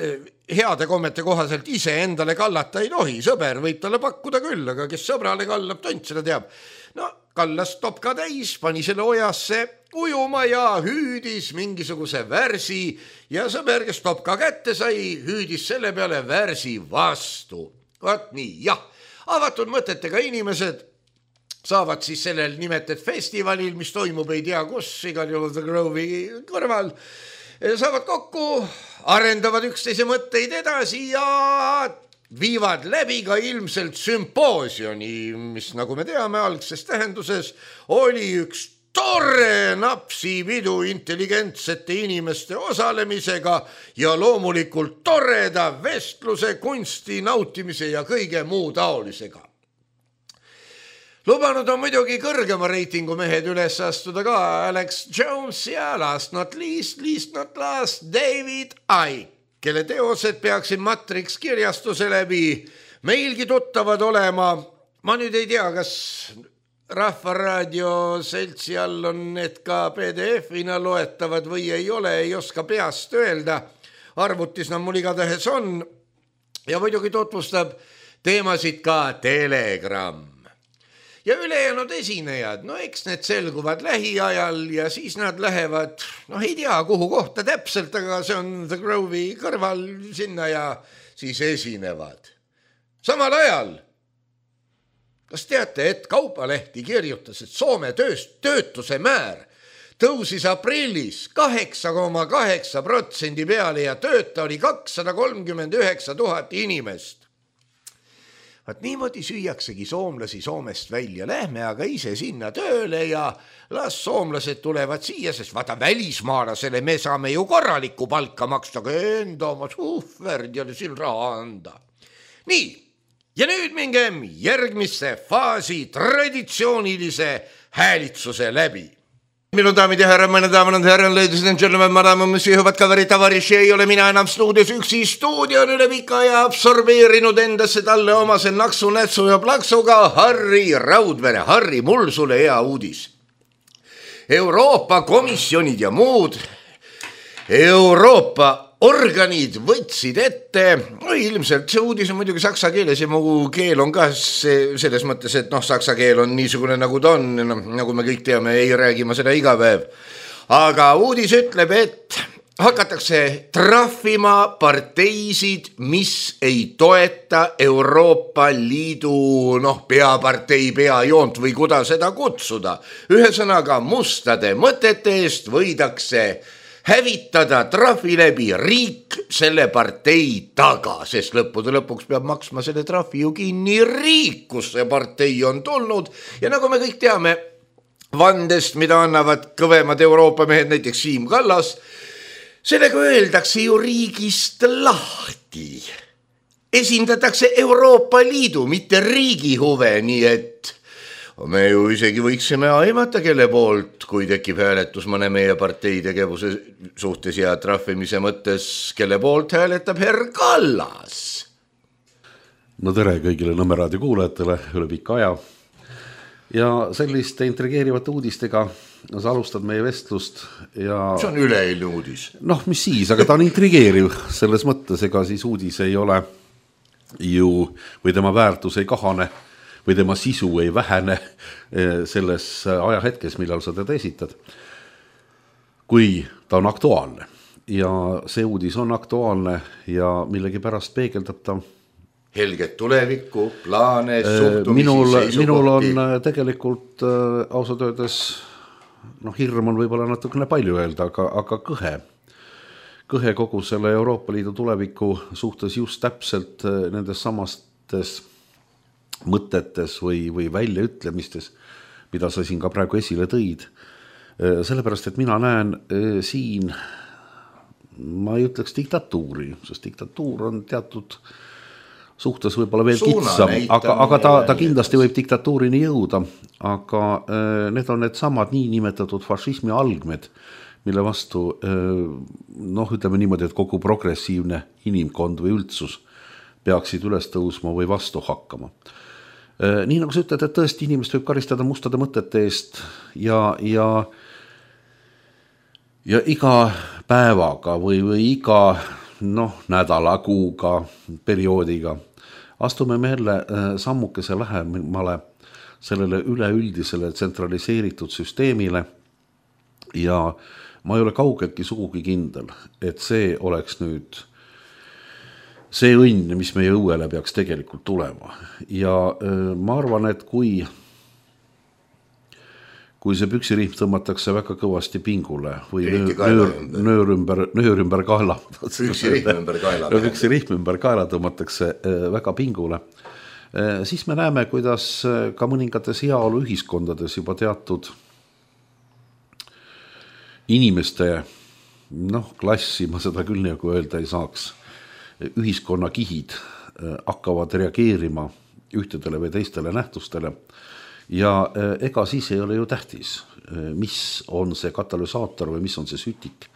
heade kommete kohaselt ise endale kallata ei tohi. Sõber võib talle pakkuda küll, aga kes sõbrale kallab, tont seda teab. No, kallas topka täis, pani selle ojasse ujuma ja hüüdis mingisuguse värsi ja sõber, kes topka kätte sai, hüüdis selle peale värsi vastu. Vaat nii, jah, avatud mõtetega inimesed saavad siis sellel nimetet festivalil, mis toimub ei tea kus, igal juhul The Grove'i kõrval, saavad kokku, arendavad üksteise mõtteid edasi ja viivad läbi ka ilmselt sümpoosioni, mis nagu me teame algses tähenduses oli üks tore napsipidu intelligentsete inimeste osalemisega ja loomulikult toreda vestluse, kunsti nautimise ja kõige muu taolisega. Lubanud on muidugi kõrgema reitingu mehed üles astuda ka Alex Jones ja last not least, least not last David Icke, kelle teosed peaksid Matrix kirjastuse läbi meilgi tuttavad olema. Ma nüüd ei tea, kas Rahvaraadio seltsi all on need ka P D F-ina loetavad või ei ole, ei oska peast öelda. Arvutis nad mul igatahes on ja muidugi tutvustab teemasid ka Telegram. Ja ülejäänud esinejad, no eks need selguvad lähiajal ja siis nad lähevad, noh ei tea kuhu kohta täpselt, aga see on The Grove'i kõrval sinna ja siis esinevad. Samal ajal, kas teate, et Kaupalehti kirjutas, et Soome tööst, töötuse määr tõusis aprillis kaheksa koma kaheksa protsendi peale ja tööta oli kakssada kolmkümmend üheksa tuhat inimest. Vaat niimoodi süüaksegi soomlasi Soomest välja. Lähme aga ise sinna tööle ja las soomlased tulevad siia, sest vaata välismaalasele me saame ju korralikku palka maksta, aga enda oma suhverdjale siin raha anda. Nii, ja nüüd mingem järgmisse faasi traditsioonilise häälitsuse läbi. Minu daamid ja härra, mõne daamad ja härra, ladies and gentlemen, madame, monsieur, hüvad kaverid, tavariši, ei ole mina enam stuudios üksi. Stuudio on üle pika ja absorbeerinud endasse talle omase naksu, nätsu ja plaksuga Harri Raudvere. Harri, mul sulle hea uudis. Euroopa komisjonid ja muud Euroopa organid võtsid ette, no ilmselt see uudis on muidugi saksa keeles ja mu keel on ka selles mõttes, et noh, saksa keel on niisugune nagu ta on, no, nagu me kõik teame, ei räägi ma seda iga päev. Aga uudis ütleb, et hakatakse trahvima parteisid, mis ei toeta Euroopa Liidu noh, peapartei peajoont või kuda seda kutsuda. Ühesõnaga mustade mõtete eest võidakse hävitada trahvi läbi riik selle partei taga, sest lõppude lõpuks peab maksma selle trahvi ju kinni riik, kus see partei on tulnud. Ja nagu me kõik teame, vandest, mida annavad kõvemad Euroopa mehed, näiteks Siim Kallas, sellega öeldakse ju riigist lahti. Esindatakse Euroopa Liidu, mitte riigi huve, nii et me ju isegi võiksime aimata, kelle poolt, kui tekib hääletus mõne meie partei tegevuse suhtes ja trahvimise mõttes, kelle poolt hääletab herr Kallas. No tere kõigile Nõmme raadio kuulajatele üle pika aja. Ja selliste intrigeerivate uudistega sa alustad meie vestlust. Ja... See on üleeilne uudis. Noh, mis siis, aga ta on intrigeeriv selles mõttes, ega siis uudis ei ole ju, või tema väärtus ei kahane, või tema sisu ei vähene selles ajahetkes, millal sa teda esitad, kui ta on aktuaalne. Ja see uudis on aktuaalne ja millegi pärast peegeldab ta helget tulevikku, plaane, suhtumisi, minul, seisukohti. Minul on tegelikult ausalt öeldes, noh, hirm on võib-olla natukene palju öelda, aga, aga kõhe. Kõhe kogu selle Euroopa Liidu tuleviku suhtes just täpselt nendes samastes mõtetes või, või väljaütlemistes, mida sa siin ka praegu esile tõid. Sellepärast, et mina näen siin, ma ei ütleks diktatuuri, sest diktatuur on teatud suhtes võib-olla veel kitsam, aga, aga ta, ta kindlasti võib diktatuurini jõuda, aga need on need samad nii nimetatud fašismi algmed, mille vastu, noh, ütleme niimoodi, et kogu progressiivne inimkond või üldsus peaksid üles tõusma või vastu hakkama. Nii nagu sa ütled, et tõesti inimest võib karistada mustade mõtete eest ja, ja, ja iga päevaga või, või iga noh, nädala, kuuga, perioodiga astume me jälle sammukese lähemale sellele üleüldisele tsentraliseeritud süsteemile ja ma ei ole kaugeltki sugugi kindel, et see oleks nüüd see õnn, mis meie õuele peaks tegelikult tulema. Ja ma arvan, et kui, kui see püksirihm tõmmatakse väga kõvasti pingule või nöör, nöör ümber, nöör ümber kaela, püksirihm ümber kaela, püksirihm ümber kaela tõmmatakse väga pingule, siis me näeme, kuidas ka mõningates heaolu ühiskondades juba teatud inimeste, noh, klassi, ma seda küll nagu öelda ei saaks, ühiskonna kihid hakkavad reageerima ühtedele või teistele nähtustele ja ega siis ei ole ju tähtis, mis on see katalüsaator või mis on see sütik,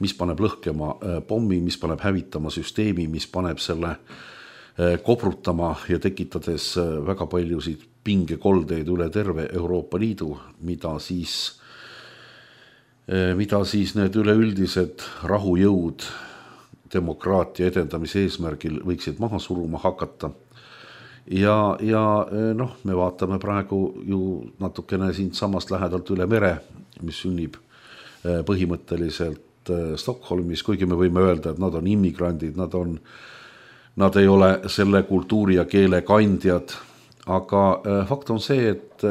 mis paneb lõhkema pommi, mis paneb hävitama süsteemi, mis paneb selle kobrutama ja tekitades väga paljusid pingekoldeid üle terve Euroopa Liidu, mida siis, mida siis need üleüldised rahujõud demokraatia edendamise eesmärgil võiksid maha suruma hakata. Ja, ja noh, me vaatame praegu ju natukene siin samast lähedalt üle mere, mis sünnib põhimõtteliselt Stockholmis, kuigi me võime öelda, et nad on immigrandid, nad, on, nad ei ole selle kultuuri ja keele kandjad, aga fakt on see, et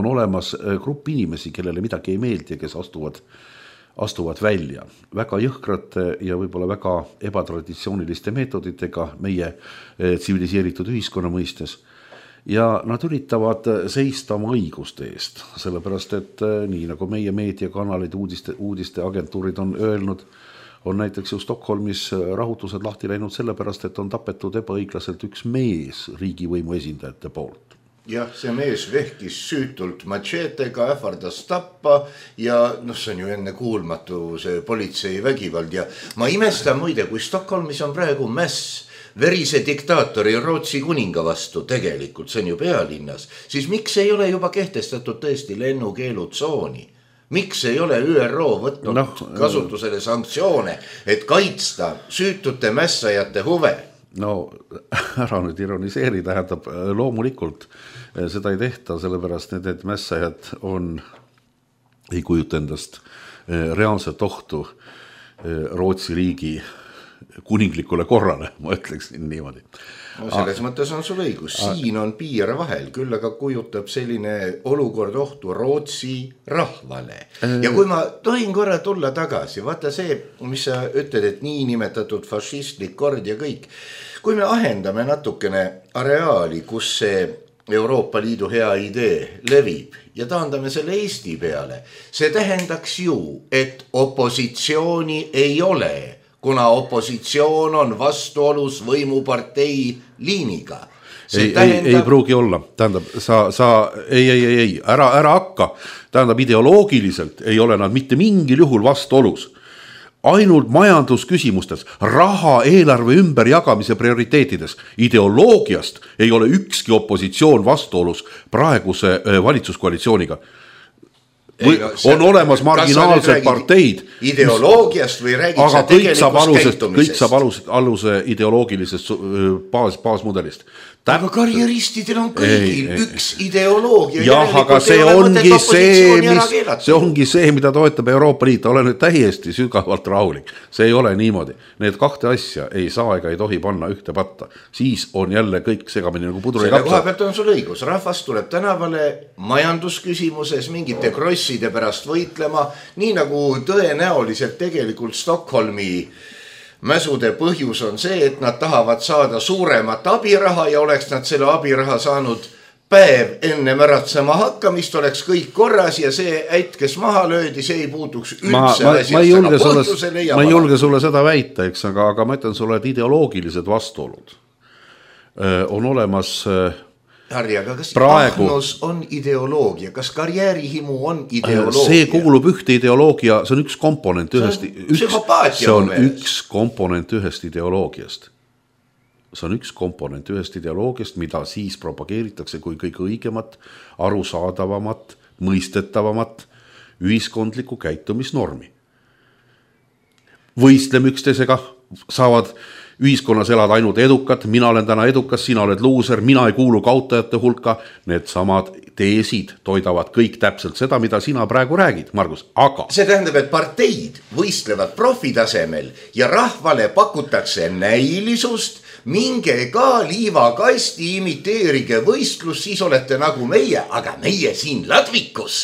on olemas grupp inimesi, kellele midagi ei meeldi, kes astuvad astuvad välja väga jõhkrate ja võib-olla väga ebatraditsiooniliste meetoditega meie tsiviliseeritud ühiskonna mõistes. Ja nad üritavad seista oma õiguste eest, sellepärast et nii nagu meie meediakanalid, uudiste, uudiste agentuurid on öelnud, on näiteks ju Stockholmis rahutused lahti läinud sellepärast, et on tapetud ebaõiglaselt üks mees riigivõimu esindajate poolt. Jah, see mees vehkis süütult matšeetega, ähvardas tappa ja noh, see on ju enne kuulmatu see politsei vägivald ja ma imestan muide, kui Stockholmis on praegu mäss verise diktaatori Rootsi kuninga vastu tegelikult, see on ju pealinnas, siis miks ei ole juba kehtestatud tõesti lennukeelutsooni? Miks ei ole Ü R O võtnud no, kasutusele sanktsioone, et kaitsta süütute mässajate huve? No ära nüüd ironiseeri, tähendab loomulikult seda ei tehta, sellepärast need, et mässajad on, ei kujuta endast reaalset ohtu Rootsi riigi kuninglikule korrale, ma ütleksin niimoodi. No, selles A mõttes on sul õigus, siin on piir vahel, küll aga kujutab selline olukord ohtu Rootsi rahvale. Ja kui ma tohin korra tulla tagasi, vaata see, mis sa ütled, et nii nimetatud fašistlik kord ja kõik, kui me ahendame natukene areaali, kus see Euroopa Liidu hea idee levib ja taandame selle Eesti peale. See tähendaks ju, et opositsiooni ei ole, kuna opositsioon on vastuolus võimupartei liiniga. Ei, tähendab... ei, ei pruugi olla, tähendab, sa, sa ei, ei, ei, ei, ära, ära hakka, tähendab ideoloogiliselt ei ole nad mitte mingil juhul vastuolus. Ainult majandusküsimustes, raha eelarve ümberjagamise prioriteetides, ideoloogiast ei ole ükski opositsioon vastuolus praeguse valitsuskoalitsiooniga. Või ei, no, see, on olemas marginaalsed parteid ideoloogiast või räägid sa tegelikust käitumisest? Kõik saab aluse, aluse ideoloogilisest baas, baasmudelist. Aga karjeristidel on kõigil ei, üks ei. Ideoloogia. Jah, aga see ongi see, mis, see ongi see, mida toetab Euroopa Liit. Ole nüüd täiesti sügavalt rahulik. See ei ole niimoodi. Need kahte asja ei saa ega ei tohi panna ühte patta. Siis on jälle kõik segamini nagu pudru ja kapsa. Selle koha pealt on sul õigus. Rahvas tuleb tänavale majandusküsimuses mingite krosside pärast võitlema, nii nagu tõenäoliselt tegelikult Stockholmi mäsude põhjus on see, et nad tahavad saada suuremat abiraha ja oleks nad selle abiraha saanud päev enne märatsema hakkamist, oleks kõik korras ja see äit, kes maha löödi, see ei puutuks üldse ma, ma, asjast. Ma ei julge, sulle, ma ei julge sulle seda väita, eks, aga, aga ma ütlen sulle, et ideoloogilised vastuolud on olemas. Harri, aga kas praegu... ahnus on ideoloogia? Kas karjäärihimu on ideoloogia? See kuulub ühte ideoloogia, see on üks komponent ühest, üks, see on üks komponent ühest ideoloogiast. See on üks komponent ühest ideoloogiast, mida siis propageeritakse kui kõige õigemat, arusaadavamat, mõistetavamat ühiskondlikku käitumisnormi. Võistleme üksteisega, saavad ühiskonnas elad ainult edukat, mina olen täna edukas, sina oled luuser, mina ei kuulu kaotajate hulka. Need samad teesid toidavad kõik täpselt seda, mida sina praegu räägid, Margus. Aga see tähendab, et parteid võistlevad profitasemel ja rahvale pakutakse näilisust, minge ka liivakasti, imiteerige võistlus, siis olete nagu meie, aga meie siin Ladvikus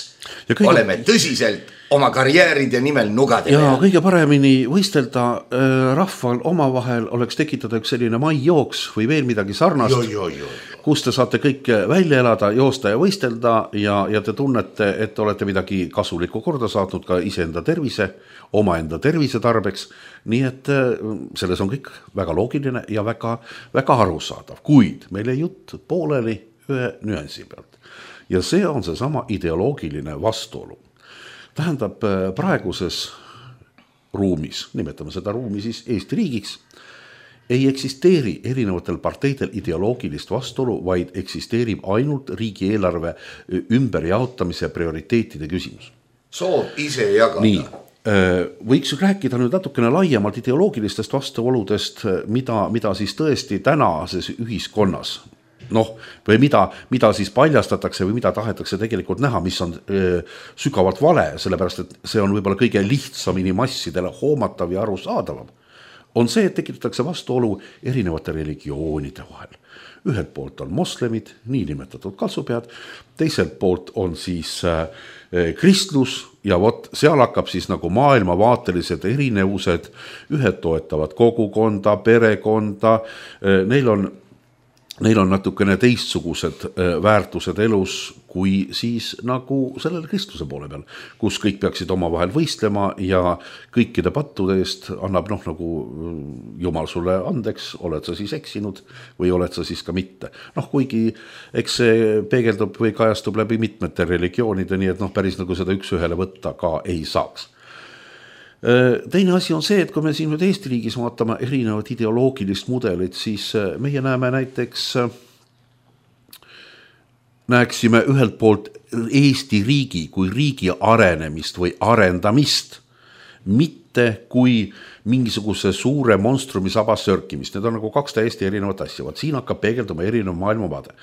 kõige... oleme tõsiselt oma karjääride nimel nugade ja peal. Kõige paremini võistelda äh, rahval omavahel oleks tekitada üks selline maijooks või veel midagi sarnast, jo, jo, jo. kus te saate kõik välja elada, joosta ja võistelda ja, ja te tunnete, et olete midagi kasulikku korda saatnud ka iseenda tervise, omaenda tervise tarbeks. Nii et äh, selles on kõik väga loogiline ja väga, väga arusaadav, kuid meil ei jutt pooleli ühe nüansi pealt. Ja see on see sama ideoloogiline vastuolu. Tähendab, praeguses ruumis, nimetame seda ruumi siis Eesti riigiks, ei eksisteeri erinevatel parteidel ideoloogilist vastuolu, vaid eksisteerib ainult riigieelarve ümberjaotamise prioriteetide küsimus. Soov ise jagada. Nii, võiks rääkida nüüd natukene laiemalt ideoloogilistest vastuoludest, mida, mida siis tõesti tänases ühiskonnas noh, või mida, mida siis paljastatakse või mida tahetakse tegelikult näha, mis on öö, sügavalt vale, sellepärast et see on võib-olla kõige lihtsamini massidele hoomatav ja arusaadavam, on see, et tekitatakse vastuolu erinevate religioonide vahel. Ühelt poolt on moslemid, niinimetatud kaltsupead, teiselt poolt on siis äh, kristlus ja vot seal hakkab siis nagu maailmavaatelised erinevused, ühed toetavad kogukonda, perekonda, äh, neil on Neil on natukene teistsugused väärtused elus kui siis nagu sellele kristluse poole peal, kus kõik peaksid oma vahel võistlema ja kõikide pattude eest annab noh nagu Jumal sulle andeks, oled sa siis eksinud või oled sa siis ka mitte. Noh, kuigi eks see peegeldub või kajastub läbi mitmete religioonide, nii et noh, päris nagu seda üks ühele võtta ka ei saaks. Teine asi on see, et kui me siin nüüd Eesti riigis vaatame erinevat ideoloogilist mudelit, siis meie näeme näiteks, näeksime ühelt poolt Eesti riigi kui riigi arenemist või arendamist, mitte kui mingisuguse suure monstrumi sabas sörkimist. Need on nagu kaks täiesti erinevat asja. Vaat siin hakkab peegelduma erinev maailmavaade.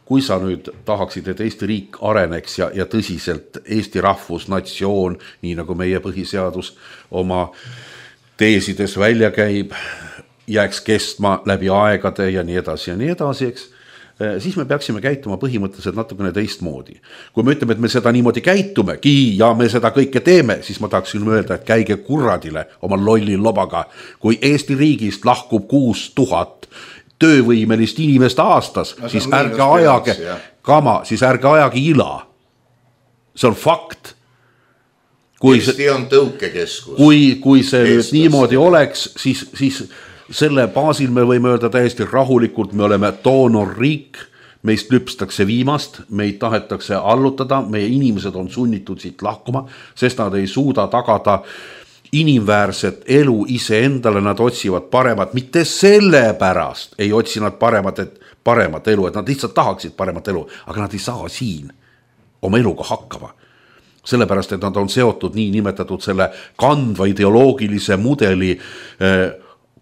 Kui sa nüüd tahaksid, et Eesti riik areneks ja, ja tõsiselt Eesti rahvus, natsioon, nii nagu meie põhiseadus oma teesides välja käib, jääks kestma läbi aegade ja nii edasi ja nii edasi, eks, siis me peaksime käituma põhimõtteliselt natukene teistmoodi. Kui me ütleme, et me seda niimoodi käitumegi ja me seda kõike teeme, siis ma tahaksin öelda, et käige kurradile oma lolli lobaga. Kui Eesti riigist lahkub kuus tuhat töövõimelist inimest aastas, no, siis ärge ajage kama, siis ärge ajage ila. See on fakt. Kui Eesti see, on tõukekeskus. Kui, kui see nüüd niimoodi oleks, siis, siis selle baasil me võime öelda täiesti rahulikult, me oleme doonorriik, meist lüpstakse viimast, meid tahetakse allutada, meie inimesed on sunnitud siit lahkuma, sest nad ei suuda tagada inimväärset elu ise endale, nad otsivad paremat, mitte selle pärast ei otsi nad paremat, et paremat elu, et nad lihtsalt tahaksid paremat elu, aga nad ei saa siin oma eluga hakkama. Sellepärast, et nad on seotud nii nimetatud selle kandva ideoloogilise mudeli eh,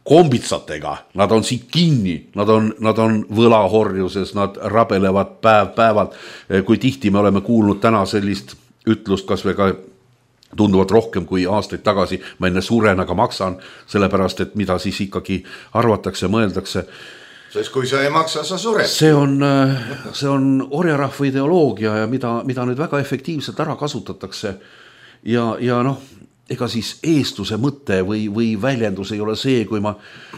kombitsatega, nad on siit kinni, nad on, nad on võlahorjuses, nad rabelevad päev päevalt, kui tihti me oleme kuulnud täna sellist ütlust, kas või ka tunduvalt rohkem kui aastaid tagasi, ma enne suren, aga maksan, sellepärast, et mida siis ikkagi arvatakse, mõeldakse. Sest kui sa ei maksa, sa sured. See on, see on orjarahva ideoloogia ja mida, mida nüüd väga efektiivselt ära kasutatakse ja, ja noh, ega siis eestluse mõte või, või väljendus ei ole see, kui ma,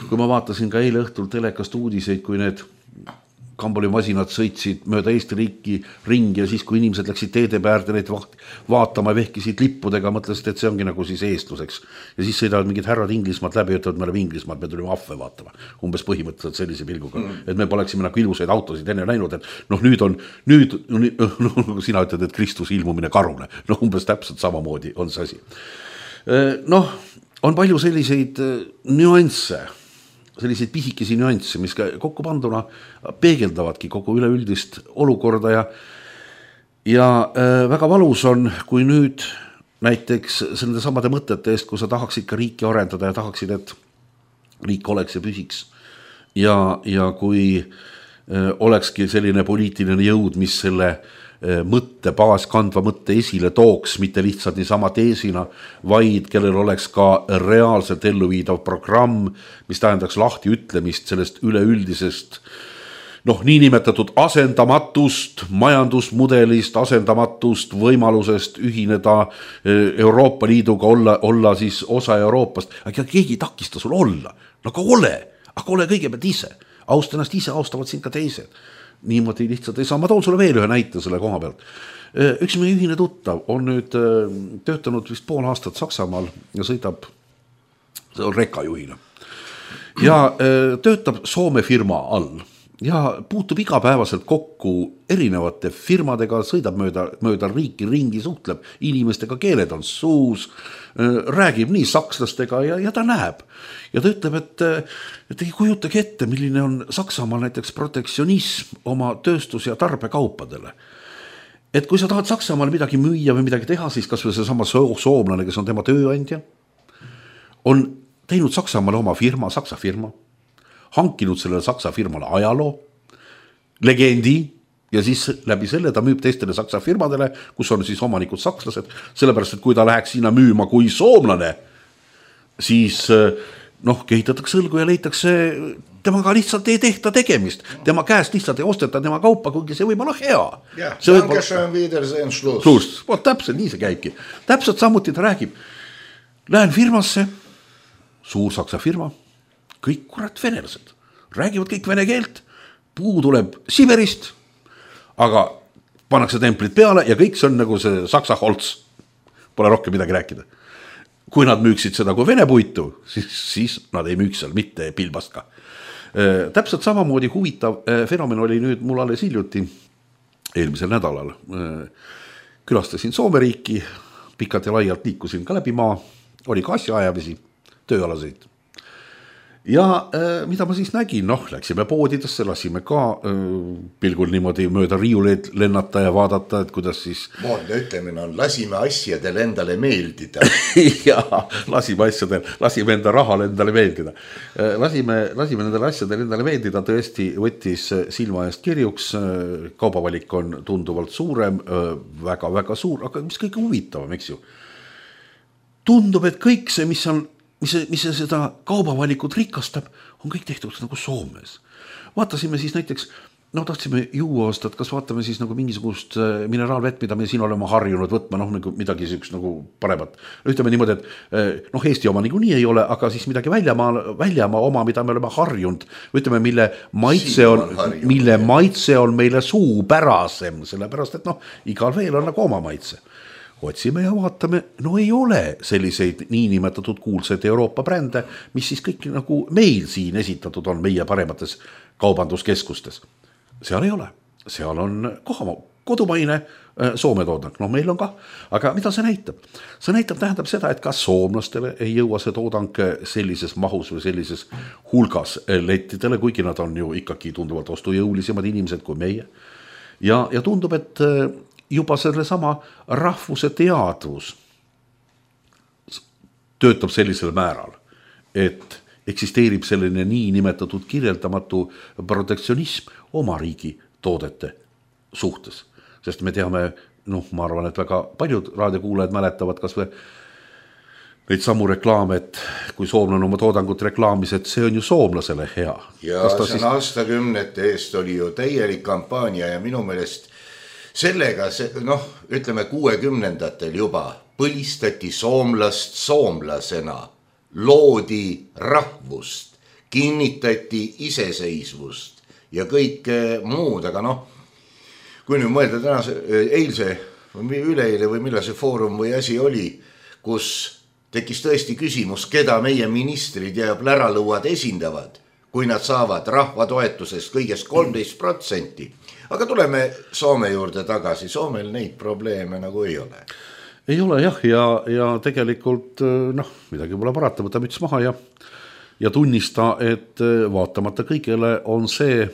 kui ma vaatasin ka eile õhtul telekast uudiseid, kui need kambolimasinad sõitsid mööda Eesti riiki ringi ja siis, kui inimesed läksid teede päärde neid vaatama ja vehkisid lippudega, mõtlesid, et see ongi nagu siis eestluseks. Ja siis sõidavad mingid härrad Inglismaalt läbi, ütlevad, me oleme Inglismaalt, me tulime ahve vaatama. Umbes põhimõtteliselt sellise pilguga. Mm. Et me poleksime nagu ilusaid autosid enne näinud, et noh, nüüd on, nüüd, no, sina ütled, et Kristus ilmumine karune. No umbes täpselt samamoodi on see asi. Noh, on palju selliseid nüansse, selliseid pisikesi nüansse, mis kokku panduna peegeldavadki kogu üleüldist olukorda ja, ja äh, väga valus on, kui nüüd näiteks selle samade mõtete eest, kui sa tahaksid ka riiki arendada ja tahaksid, et riik oleks ja püsiks ja, ja kui äh, olekski selline poliitiline jõud, mis selle mõtte, baas kandva mõtte esile tooks, mitte lihtsalt niisama teesina, vaid kellel oleks ka reaalselt elluviidav programm, mis tähendaks lahti ütlemist sellest üleüldisest, noh, niinimetatud asendamatust, majandusmudelist, asendamatust, võimalusest ühineda Euroopa Liiduga, olla, olla siis osa Euroopast, aga keegi ei takista sul olla, no aga ole, aga ole kõigepealt ise, austa ennast ise, austavad sind ka teised. Niimoodi lihtsalt ei saa. Ma toon sulle veel ühe näite selle koha pealt. Üks meie ühine tuttav on nüüd töötanud vist pool aastat Saksamaal ja sõidab rekkajuhina. Ja töötab Soome firma all ja puutub igapäevaselt kokku erinevate firmadega, sõidab mööda, mööda riiki ringi, suhtleb inimestega, keeled on suus, räägib nii sakslastega ja, ja ta näeb. Ja ta ütleb, et, et ei kujutagi ette, milline on Saksamaal näiteks protektsionism oma tööstus- ja tarbekaupadele. Et kui sa tahad Saksamaal midagi müüa või midagi teha, siis kas või see sama soomlane, kes on tema tööandja, on teinud Saksamaale oma firma, Saksa firma, hankinud sellele Saksa firmale ajaloo, legendi ja siis läbi selle ta müüb teistele Saksa firmadele, kus on siis omanikud sakslased, sellepärast, et kui ta läheks sinna müüma kui soomlane, siis noh, kehitatakse õlgu ja leitakse, temaga lihtsalt ei tehta tegemist, tema käest lihtsalt ei osteta tema kaupa, kuigi see võib olla hea. Ja, danke schön, wiedersehen, Schluss. Vot täpselt nii see käibki. Täpselt samuti ta räägib, lähen firmasse, suur Saksa firma, kõik kurat venelased, räägivad kõik vene keelt, puu tuleb Siberist, aga pannakse templid peale ja kõik see on nagu see Saksa holts, pole rohkem midagi rääkida. Kui nad müüksid seda kui vene puitu, siis, siis nad ei müüks seal mitte pilbast ka. Täpselt samamoodi huvitav fenomen oli nüüd mul alles hiljuti, eelmisel nädalal. Külastasin Soome riiki, pikalt ja laialt liikusin ka läbi maa, oli ka asjaajavisi, tööalaseid. Ja äh, mida ma siis nägin, noh, läksime poodidesse, lasime ka äh, pilgul niimoodi mööda riiuleid lennata ja vaadata, et kuidas siis... Moodne ütlemine on, lasime asjadel endale meeldida. ja, lasime asjadel, lasime enda rahal endale meeldida. Äh, lasime, lasime endale asjadel endale meeldida, tõesti võttis silma eest kirjuks, äh, kaubavalik on tunduvalt suurem, äh, väga, väga suur, aga mis kõige huvitavam, eks ju? Tundub, et kõik see, mis on mis, mis seda kaubavalikut rikastab, on kõik tehtud nagu Soomes. Vaatasime siis näiteks no tahtsime juua osta, et kas vaatame siis nagu mingisugust mineraalvett, mida me siin oleme harjunud võtma, noh nagu midagi süüks nagu paremat. Ütleme niimoodi, et noh, Eesti oma niikuinii ei ole, aga siis midagi väljamaa, väljamaa oma, mida me oleme harjunud, ütleme, mille maitse on, on mille maitse on meile suupärasem, sellepärast, et noh, igal veel on nagu oma maitse. Otsime ja vaatame, no ei ole selliseid niinimetatud kuulsaid Euroopa brände, mis siis kõik nagu meil siin esitatud on meie paremates kaubanduskeskustes. Seal ei ole, seal on koha, kodumaine Soome toodang, no meil on ka, aga mida see näitab? See näitab, tähendab seda, et ka soomlastele ei jõua see toodang sellises mahus või sellises hulgas lettidele, kuigi nad on ju ikkagi tunduvalt ostujõulisemad inimesed kui meie. Ja, ja tundub, et juba selle sama rahvuse teadvus töötab sellisel määral, et eksisteerib selline nii nimetatud kirjeldamatu protektsionism oma riigi toodete suhtes. Sest me teame, noh, ma arvan, et väga paljud raadiokuulajad mäletavad kas või neid samu reklaame, et kui soomlane oma toodangut reklaamis, et see on ju soomlasele hea. Ja see siis... aastakümnete eest oli ju täielik kampaania ja minu meelest sellega, noh, ütleme kuuekümnendatel juba põlistati soomlast soomlasena. Loodi rahvust, kinnitati iseseisvust ja kõik muud, aga noh, kui nüüd mõelda tänase, eilse või üleeile või millal see foorum või asi oli, kus tekkis tõesti küsimus, keda meie ministrid ja pläralõuad esindavad, kui nad saavad rahva toetusest kõigest kolmteist protsenti. Aga tuleme Soome juurde tagasi, Soomel neid probleeme nagu ei ole. Ei ole jah, ja, ja tegelikult noh, midagi pole parata, võta müts maha ja, ja tunnista, et vaatamata kõigele on see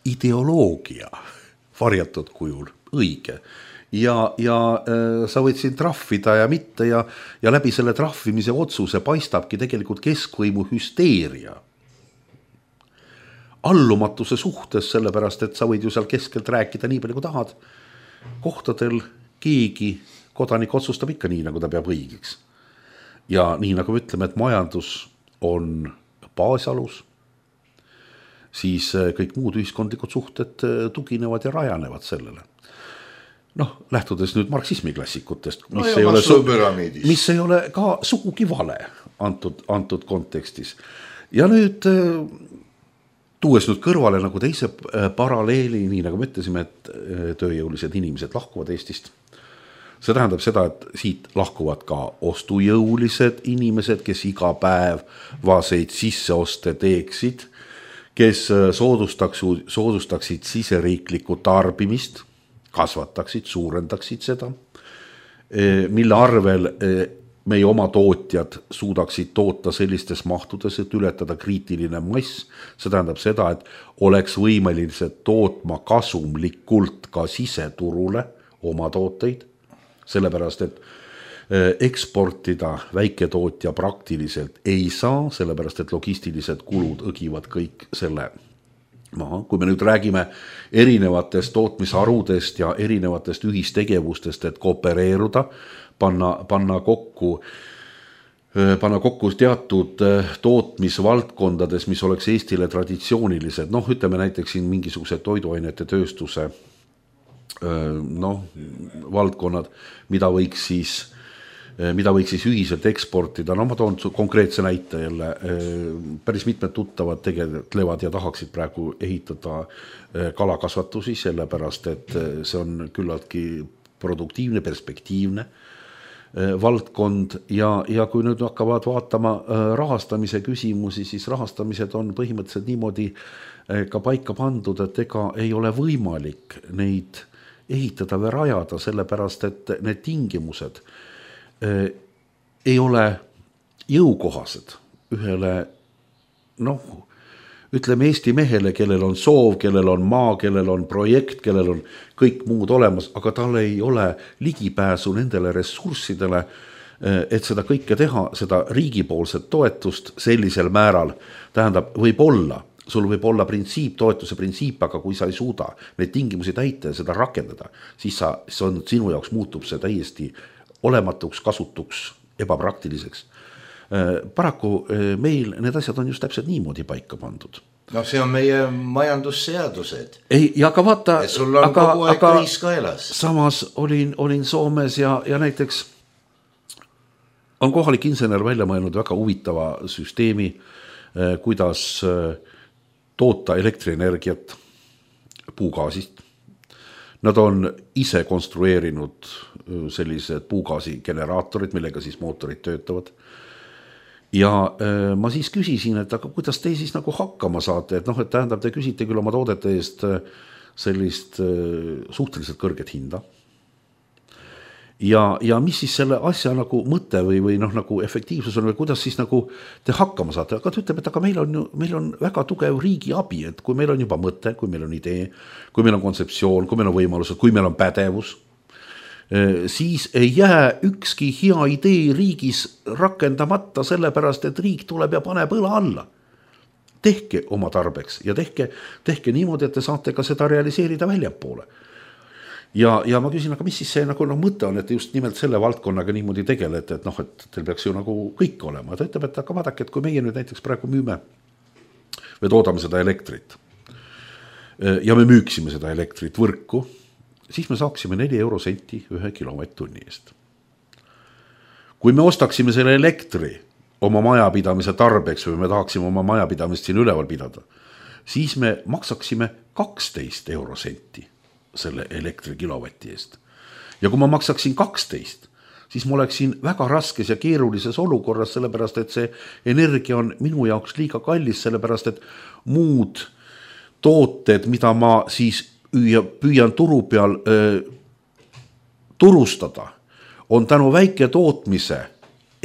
ideoloogia varjatud kujul õige. Ja, ja äh, sa võid siin trahvida ja mitte ja, ja läbi selle trahvimise otsuse paistabki tegelikult keskvõimu hüsteeria. Allumatuse suhtes, sellepärast, et sa võid ju seal keskelt rääkida nii palju kui tahad. Kohtadel keegi kodanik otsustab ikka nii, nagu ta peab õigeks. Ja nii nagu me ütleme, et majandus on baasalus, siis kõik muud ühiskondlikud suhted tuginevad ja rajanevad sellele. Noh, lähtudes nüüd marksismi klassikutest, mis, no ei, ole su- mis ei ole ka sugugi vale antud, antud kontekstis. Ja nüüd tuues nüüd kõrvale nagu teise paralleeli, nii nagu me ütlesime, et tööjõulised inimesed lahkuvad Eestist. See tähendab seda, et siit lahkuvad ka ostujõulised inimesed, kes iga päev vaseid sisseoste teeksid, kes soodustaksid, soodustaksid siseriiklikku tarbimist, kasvataksid, suurendaksid seda, mille arvel meie oma tootjad suudaksid toota sellistes mahtudes, et ületada kriitiline mass. See tähendab seda, et oleks võimelised tootma kasumlikult ka siseturule oma tooteid, sellepärast, et eksportida väiketootja praktiliselt ei saa, sellepärast, et logistilised kulud õgivad kõik selle maha. Kui me nüüd räägime erinevatest tootmisharudest ja erinevatest ühistegevustest, et koopereeruda, panna, panna kokku panna kokku teatud tootmisvaldkondades, mis oleks Eestile traditsioonilised, noh, ütleme näiteks siin mingisuguse toiduainete tööstuse noh, valdkonnad, mida võiks siis mida võiks siis ühiselt eksportida. No ma toon konkreetse näite jälle. Päris mitmed tuttavad tegelevad ja tahaksid praegu ehitada kalakasvatusi, sellepärast, et see on küllaltki produktiivne, perspektiivne valdkond ja, ja kui nüüd hakkavad vaatama rahastamise küsimusi, siis rahastamised on põhimõtteliselt niimoodi ka paika pandud, et ega ei ole võimalik neid ehitada või rajada, sellepärast, et need tingimused ei ole jõukohased ühele, noh, ütleme Eesti mehele, kellel on soov, kellel on maa, kellel on projekt, kellel on kõik muud olemas, aga tal ei ole ligipääsu nendele ressurssidele, et seda kõike teha, seda riigipoolset toetust sellisel määral, tähendab, võib olla, sul võib olla printsiip, toetuse printsiip, aga kui sa ei suuda neid tingimusi täita ja seda rakendada, siis sa, see on, sinu jaoks muutub see täiesti olematuks, kasutuks, ebapraktiliseks. Paraku meil need asjad on just täpselt niimoodi paika pandud. No see on meie majandusseadused. Ei, ja aga vaata, ja sul on aga, kogu aeg aga kriis kaelas. Samas olin, olin Soomes ja, ja näiteks on kohalik insener välja mõelnud väga huvitava süsteemi, kuidas toota elektrienergiat puugaasist. Nad on ise konstrueerinud sellised puugaasi generaatorid, millega siis mootorid töötavad. Ja äh, ma siis küsisin, et aga kuidas te siis nagu hakkama saate, et noh, et tähendab, te küsite küll oma toodete eest sellist äh, suhteliselt kõrget hinda. Ja, ja mis siis selle asja nagu mõte või, või noh, nagu efektiivsus on või kuidas siis nagu te hakkama saate, aga ta ütleb, et aga meil on, meil on väga tugev riigi abi, et kui meil on juba mõte, kui meil on idee, kui meil on kontseptsioon, kui meil on võimalused, kui meil on pädevus, siis ei jää ükski hea idee riigis rakendamata sellepärast, et riik tuleb ja paneb õla alla. Tehke oma tarbeks ja tehke, tehke niimoodi, et te saate ka seda realiseerida väljapoole. Ja, ja ma küsin, aga mis siis see nagu no, mõte on, et just nimelt selle valdkonnaga niimoodi tegelete, et noh, et teil peaks ju nagu kõik olema. Ta ütleb, et aga vaadake, et kui meie nüüd näiteks praegu müüme või toodame seda elektrit ja me müüksime seda elektrit võrku, siis me saaksime neli euro senti ühe kilovatt-tunni eest. Kui me ostaksime selle elektri oma majapidamise tarbeks või me tahaksime oma majapidamist siin üleval pidada, siis me maksaksime kaksteist euro senti selle elektri kilovati eest. Ja kui ma maksaksin kaksteist, siis ma oleksin väga raskes ja keerulises olukorras, sellepärast et see energia on minu jaoks liiga kallis, sellepärast et muud tooted, mida ma siis püüan turu peal äh, turustada, on tänu väike tootmise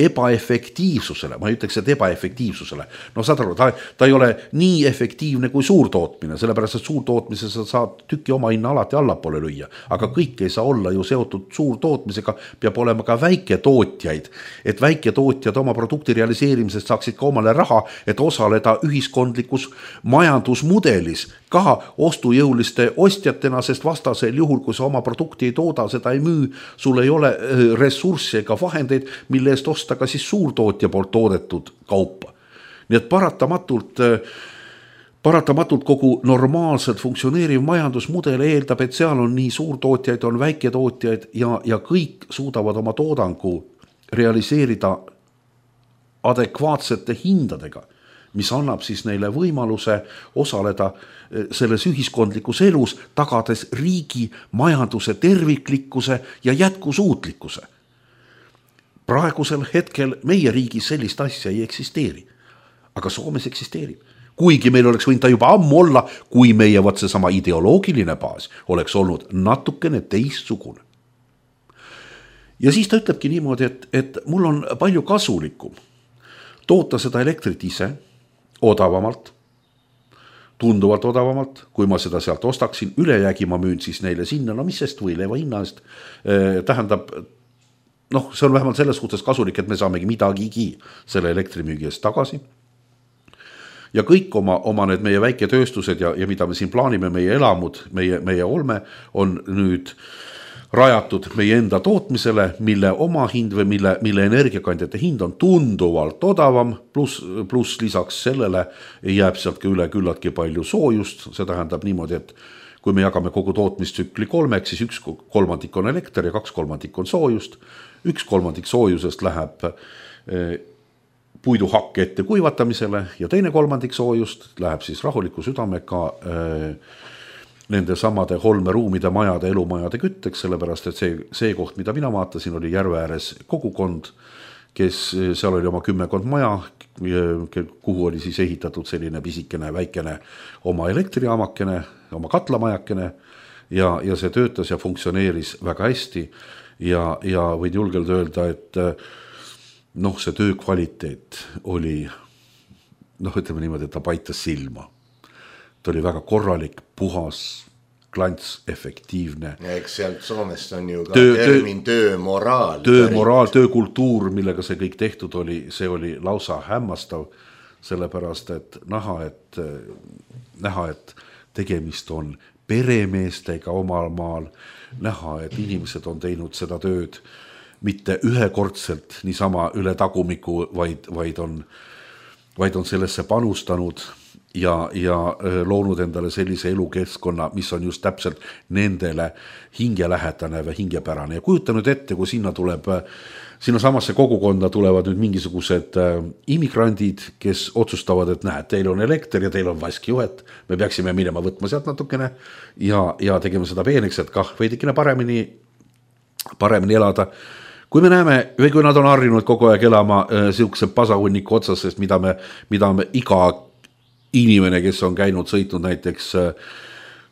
ebaefektiivsusele, ma ei ütleks, et ebaefektiivsusele. No saad aru, ta, ta ei ole nii efektiivne kui suurtootmine, sellepärast, et suurtootmise sa saad tüki oma hinna alati allapoole lüüa, aga kõik ei saa olla ju seotud suurtootmisega, peab olema ka väiketootjaid, et väiketootjad oma produkti realiseerimisest saaksid ka omale raha, et osaleda ühiskondlikus majandusmudelis ka ostujõuliste ostjatena, sest vastasel juhul, kui sa oma produkti ei tooda, seda ei müü, sul ei ole ressurssi ega vahendeid, mille eest osta ka siis suurtootja poolt toodetud kaupa. Nii et paratamatult, paratamatult kogu normaalselt funktsioneeriv majandusmudel eeldab, et seal on nii suurtootjaid, on väiketootjaid ja, ja kõik suudavad oma toodangu realiseerida adekvaatsete hindadega, mis annab siis neile võimaluse osaleda selles ühiskondlikus elus, tagades riigi majanduse terviklikkuse ja jätkusuutlikkuse. Praegusel hetkel meie riigis sellist asja ei eksisteeri, aga Soomes eksisteerib. Kuigi meil oleks võinud ta juba ammu olla, kui meie võt see sama ideoloogiline baas oleks olnud natukene teistsugune. Ja siis ta ütlebki niimoodi, et, et mul on palju kasulikum toota seda elektrit ise odavamalt, tunduvalt odavamalt, kui ma seda sealt ostaksin, ülejäägi ma müün siis neile sinna, no mis sest või leiva hinna eest eh, tähendab, noh, see on vähemalt selles suhtes kasulik, et me saamegi midagigi selle elektrimüügi eest tagasi. Ja kõik oma, oma need meie väiketööstused ja, ja mida me siin plaanime, meie elamud, meie, meie olme on nüüd rajatud meie enda tootmisele, mille oma hind või mille, mille energiakandjate hind on tunduvalt odavam, plus, plus lisaks sellele jääb sealt ka üle küllatki palju soojust, see tähendab niimoodi, et kui me jagame kogu tootmistsükli kolmeks, siis üks kolmandik on elekter ja kaks kolmandik on soojust, üks kolmandik soojusest läheb puiduhakke ette kuivatamisele ja teine kolmandik soojust läheb siis rahuliku südamega nende samade holmeruumide, majade, elumajade kütteks, sellepärast et see, see koht, mida mina vaatasin, oli järve ääres kogukond, kes seal oli oma kümmekond maja, kuhu oli siis ehitatud selline pisikene, väikene oma elektriaamakene, oma katlamajakene ja, ja see töötas ja funktsioneeris väga hästi ja, ja võin julgelt öelda, et noh, see töö kvaliteet oli, noh, ütleme niimoodi, et ta paitas silma. Ta oli väga korralik, puhas, klants, efektiivne. Ja eks sealt Soomest on ju ka töö, termin töömoraal. Töömoraal, töökultuur, millega see kõik tehtud oli, see oli lausa hämmastav, sellepärast, et näha, et, näha, et tegemist on peremeestega omal maal, näha, et inimesed on teinud seda tööd mitte ühekordselt niisama üle tagumiku, vaid, vaid, on, vaid on sellesse panustanud ja, ja loonud endale sellise elukeskkonna, mis on just täpselt nendele hingelähetane või hingepärane. Ja kujuta nüüd ette, kui sinna tuleb, sinna samasse kogukonda tulevad nüüd mingisugused immigrandid, kes otsustavad, et näed, teil on elekter ja teil on vaskjuhet, me peaksime minema võtma sealt natukene ja, ja tegema seda peeneks, et kah veidikene paremini, paremini elada. Kui me näeme, või kui nad on harjunud kogu aeg elama äh, siukse pasahunniku otsas, sest mida me, mida me iga inimene, kes on käinud, sõitnud näiteks,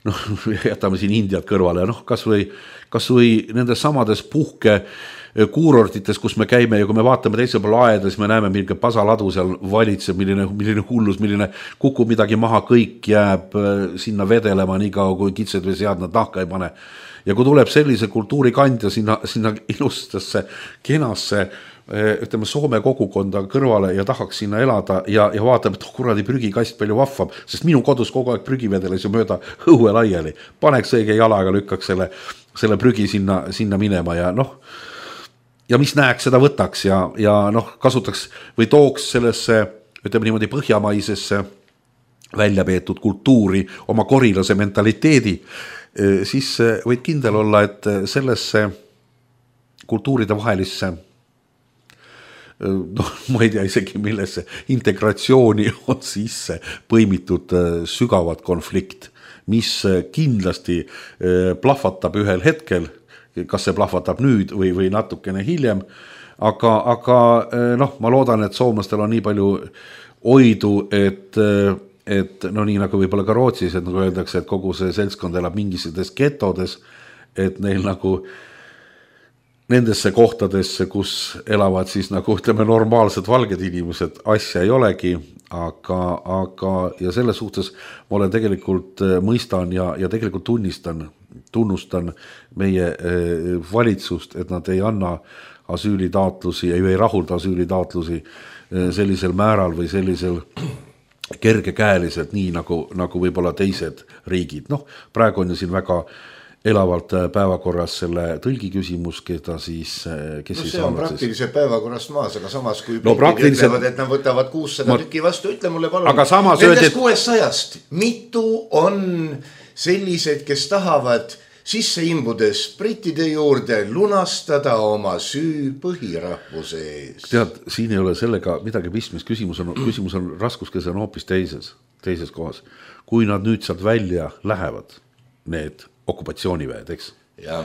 noh, jätame siin Indiat kõrvale, noh, kas või, kas või nendes samades puhke kuurortites, kus me käime ja kui me vaatame teisel pool aeda, siis me näeme, milline pasaladu seal valitseb, milline, milline hullus, milline kukub midagi maha, kõik jääb sinna vedelema nii kaua, kui kitsed või sead nad nahka ei pane. Ja kui tuleb sellise kultuurikandja sinna, sinna ilustasse, kenasse, ütleme Soome kogukonda kõrvale ja tahaks sinna elada ja, ja vaatab, et oh, kuradi prügikast palju vahvam, sest minu kodus kogu aeg prügivedeles ju mööda õue laiali. Paneks õige jalaga, lükkaks selle, selle prügi sinna, sinna minema ja noh, ja mis näeks, seda võtaks ja, ja noh, kasutaks või tooks sellesse, ütleme niimoodi põhjamaisesse välja peetud kultuuri oma korilase mentaliteedi, siis võid kindel olla, et sellesse kultuuride vahelisse noh, ma ei tea isegi millesse integratsiooni on sisse põimitud sügavad konflikt, mis kindlasti plahvatab ühel hetkel, kas see plahvatab nüüd või, või natukene hiljem, aga, aga noh, ma loodan, et soomlastel on nii palju oidu, et, et no nii nagu võib-olla ka Rootsis, et nagu öeldakse, et kogu see seltskond elab mingisuguses getodes, et neil nagu nendesse kohtadesse, kus elavad siis nagu ütleme normaalsed valged inimesed, asja ei olegi, aga, aga ja selle suhtes ma olen tegelikult mõistan ja, ja tegelikult tunnistan, tunnustan meie valitsust, et nad ei anna asüülitaotlusi, ei, ei rahulda asüülitaotlusi sellisel määral või sellisel kergekäeliselt, nii nagu, nagu võib-olla teised riigid. Noh, praegu on ju siin väga elavalt päevakorras selle tõlgi küsimus, keda siis kes no, siis see on praktiliselt päevakorrast maas, aga samas kui no, praktiliselt... ütlevad, et nad võtavad kuussada ma... tükki vastu, ütle mulle palun, nendest öeldi... kuuesajast mitu on sellised, kes tahavad sisse imbudes brittide juurde lunastada oma süü põhirahvuse ees. Tead, siin ei ole sellega midagi pistmist, küsimus on, küsimus on raskuskese on hoopis teises, teises kohas. Kui nad nüüd sealt välja lähevad, need okupatsiooniväed, eks? Ja.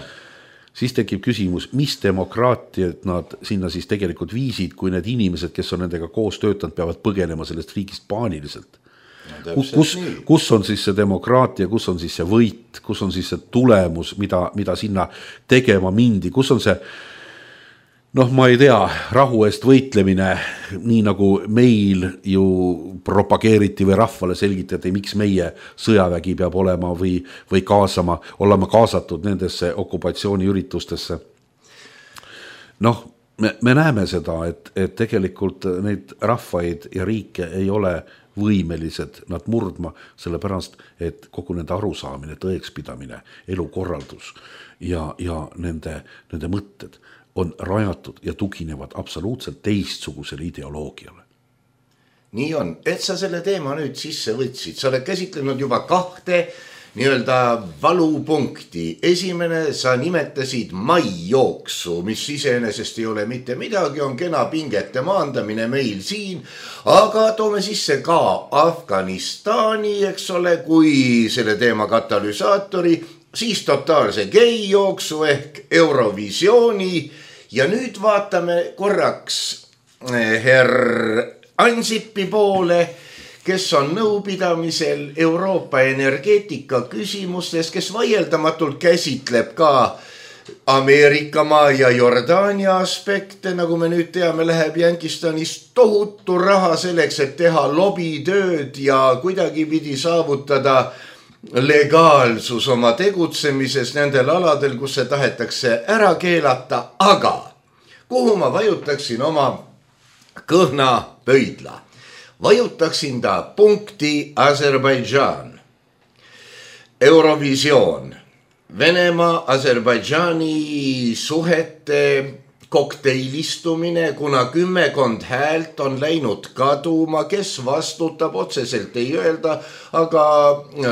Siis tekib küsimus, mis demokraatiat nad sinna siis tegelikult viisid, kui need inimesed, kes on nendega koos töötanud, peavad põgenema sellest riigist paaniliselt. No, kus, kus on siis see demokraatia, kus on siis see võit, kus on siis see tulemus, mida, mida sinna tegema mindi, kus on see, noh, ma ei tea, rahu eest võitlemine, nii nagu meil ju propageeriti või rahvale selgitati, miks meie sõjavägi peab olema või, või kaasama, olema kaasatud nendesse okupatsiooniüritustesse. Noh, me, me näeme seda, et, et tegelikult neid rahvaid ja riike ei ole võimelised nad murdma, sellepärast, et kogu nende arusaamine, tõekspidamine, elukorraldus ja, ja nende, nende mõtted on rajatud ja tuginevad absoluutselt teistsugusele ideoloogiale. Nii on, et sa selle teema nüüd sisse võtsid, sa oled käsitlenud juba kahte nii-öelda valupunkti. Esimene, sa nimetasid maijooksu, mis iseenesest ei ole mitte midagi, on kena pingete maandamine meil siin, aga toome sisse ka Afganistani, eks ole, kui selle teema katalüsaatori, siis totaalse geijooksu ehk Eurovisiooni ja nüüd vaatame korraks herr Ansipi poole, kes on nõupidamisel Euroopa energeetika küsimustes, kes vaieldamatult käsitleb ka Ameerikamaa ja Jordaania aspekte, nagu me nüüd teame, läheb Jankistanis tohutu raha selleks, et teha lobitööd ja kuidagi pidi saavutada legaalsus oma tegutsemises nendel aladel, kus see tahetakse ära keelata, aga kuhu ma vajutaksin oma kõhna pöidla? Vajutaksin ta punkti Aserbaidžaan. Eurovisioon. Venemaa, Aserbaidžaani suhete kokteilistumine, kuna kümmekond häält on läinud kaduma, kes vastutab, otseselt ei öelda, aga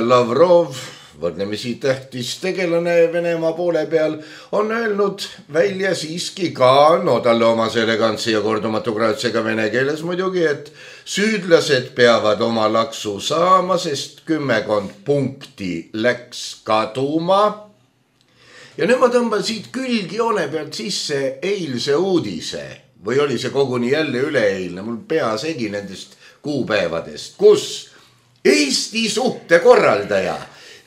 Lavrov, võrdlemisi tähtis tegelane Venemaa poole peal, on öelnud välja siiski ka, no talle omase elegantsi ja kordumatu graatsiaga vene keeles muidugi, et süüdlased peavad oma laksu saama, sest kümmekond punkti läks kaduma. Ja nüüd ma tõmban siit külgjoone pealt sisse eilse uudise, või oli see koguni jälle üleeilne, mul pea segi nendest kuupäevadest, kus Eesti suhtekorraldaja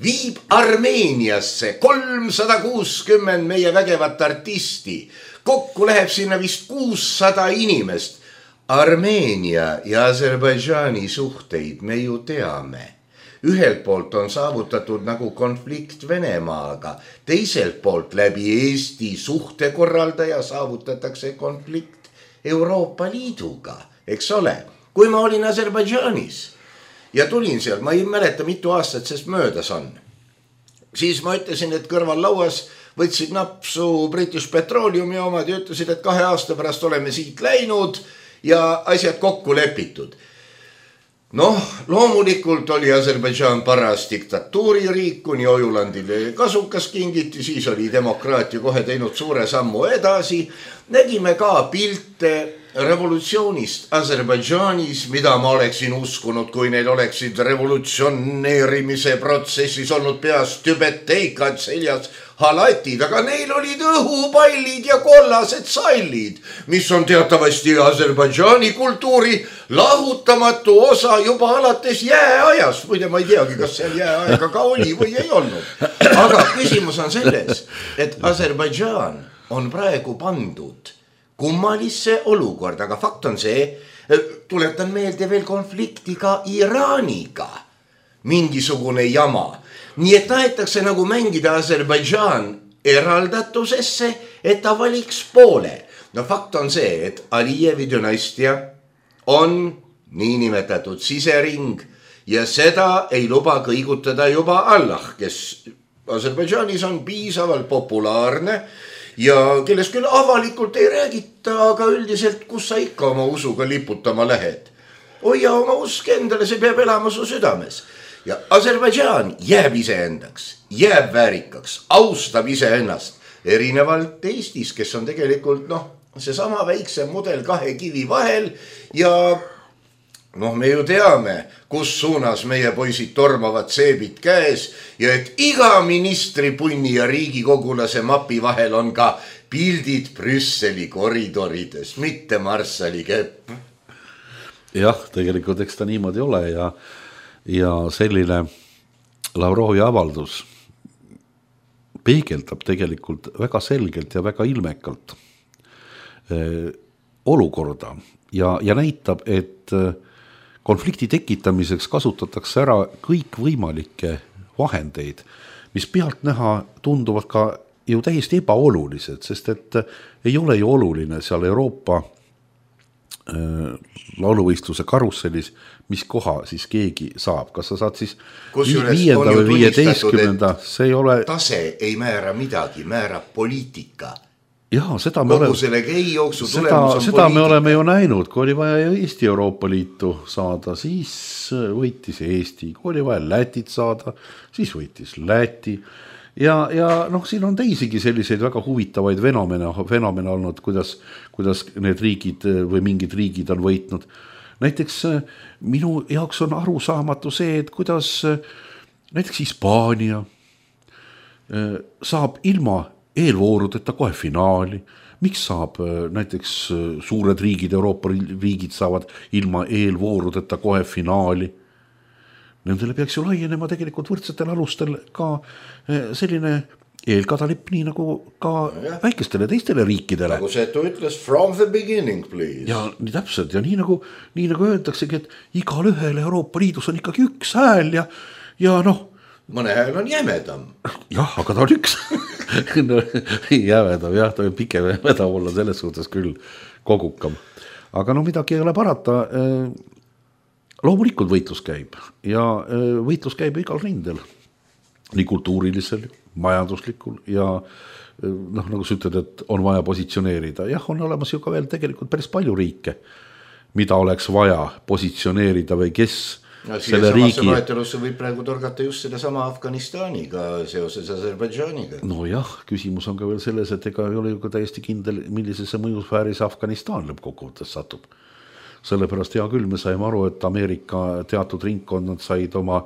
viib Armeeniasse kolmsada kuuskümmend meie vägevat artisti. Kokku läheb sinna vist kuussada inimest. Armeenia ja Aserbaidžaani suhteid me ju teame. Ühelt poolt on saavutatud nagu konflikt Venemaaga, teiselt poolt läbi Eesti suhtekorraldaja saavutatakse konflikt Euroopa Liiduga, eks ole. Kui ma olin Aserbaidžaanis ja tulin seal, ma ei mäleta mitu aastat sest möödas on. Siis ma ütlesin, et kõrval lauas võtsid napsu British Petroleumi omad ja ütlesid, et kahe aasta pärast oleme siit läinud ja asjad kokku lepitud. Noh, loomulikult oli Aserbaidžaan paras diktatuuririik, kuni Ojulandile kasukas kingiti, siis oli demokraatia kohe teinud suure sammu edasi. Nägime ka pilte revolutsioonist Aserbaidžaanis, mida ma oleksin uskunud, kui neil oleksid revolutsioneerimise protsessis olnud peas tübeteikad seljas halatid, aga neil olid õhupallid ja kollased sallid, mis on teatavasti Aserbaidžaani kultuuri lahutamatu osa juba alates jääajast. Muide, ma ei teagi, kas seal jääaega ka oli või ei olnud. Aga küsimus on selles, et Aserbaidžaan on praegu pandud kummalisse olukorda, aga fakt on see, tuletan meelde veel konfliktiga Iraaniga, mingisugune jama. Nii et tahetakse nagu mängida Aserbaidžaan eraldatusesse, et ta valiks poole. No fakt on see, et Alijevi dünastia on niinimetatud sisering ja seda ei luba kõigutada juba Allah, kes Aserbaidžaanis on piisavalt populaarne ja kellest küll avalikult ei räägita, aga üldiselt, kus sa ikka oma usuga liputama lähed. Hoia oma usk endale, see peab elama su südames. Ja Aserbaidžaan jääb iseendaks, jääb väärikaks, austab iseennast. Erinevalt Eestis, kes on tegelikult noh, see sama väikse mudel kahe kivi vahel ja noh, me ju teame, kus suunas meie poisid tormavad seebid käes ja et iga ministri punni ja riigikogulase mapi vahel on ka pildid Brüsseli koridorides, mitte Marssali kepp. Jah, tegelikult eks ta niimoodi ole ja, ja selline Lavrovi avaldus peegeldab tegelikult väga selgelt ja väga ilmekalt eh, olukorda ja, ja näitab, et konflikti tekitamiseks kasutatakse ära kõik võimalikke vahendeid, mis pealt näha tunduvad ka ju täiesti ebaolulised, sest et ei ole ju oluline seal Euroopa äh, lauluvõistluse karusselis, mis koha siis keegi saab. Kas sa saad siis viienda või viieteistkümnenda, see ei ole... Tase ei määra midagi, määrab poliitika. Jaa, seda me, oleme, seda, seda me oleme ju näinud, kui oli vaja Eesti Euroopa Liitu saada, siis võitis Eesti, kui oli vaja Lätit saada, siis võitis Läti ja, ja noh, siin on teisigi selliseid väga huvitavaid fenomene, fenomene olnud, kuidas, kuidas need riigid või mingid riigid on võitnud. Näiteks minu jaoks on arusaamatu see, et kuidas näiteks Hispaania saab ilma eelvoorudeta kohe finaali. Miks saab näiteks suured riigid, Euroopa riigid saavad ilma eelvoorudeta kohe finaali? Nendele peaks ju laienema tegelikult võrdsetel alustel ka selline eelkadalipp, nii nagu ka ja. Väikestele teistele riikidele. Nagu see, et ütles from the beginning, please. Ja nii täpselt ja nii nagu, nii nagu öeldaksegi, et igal ühel Euroopa Liidus on ikkagi üks hääl ja, ja noh, mõne hääl on jämedam. Jah, aga ta on üks. No, jämedam, jah, ta on pikem jämedam olla selles suhtes küll kogukam. Aga no midagi ei ole parata. Loomulikult võitlus käib ja võitlus käib igal rindel. Nii kultuurilisel, majanduslikul ja noh, nagu sa ütled, et on vaja positsioneerida. Jah, on olemas ju ka veel tegelikult päris palju riike, mida oleks vaja positsioneerida või kes no, selle riigi... loetelusse võib praegu torgata just seda sama Afganistaniga seoses Aserbaidžaaniga. No jah, küsimus on ka veel selles, et ega ei ole ju ka täiesti kindel, millisesse mõjusfääris Afganistan lõppkokkuvõttes satub. Sellepärast hea küll, me saime aru, et Ameerika teatud ringkonnad said oma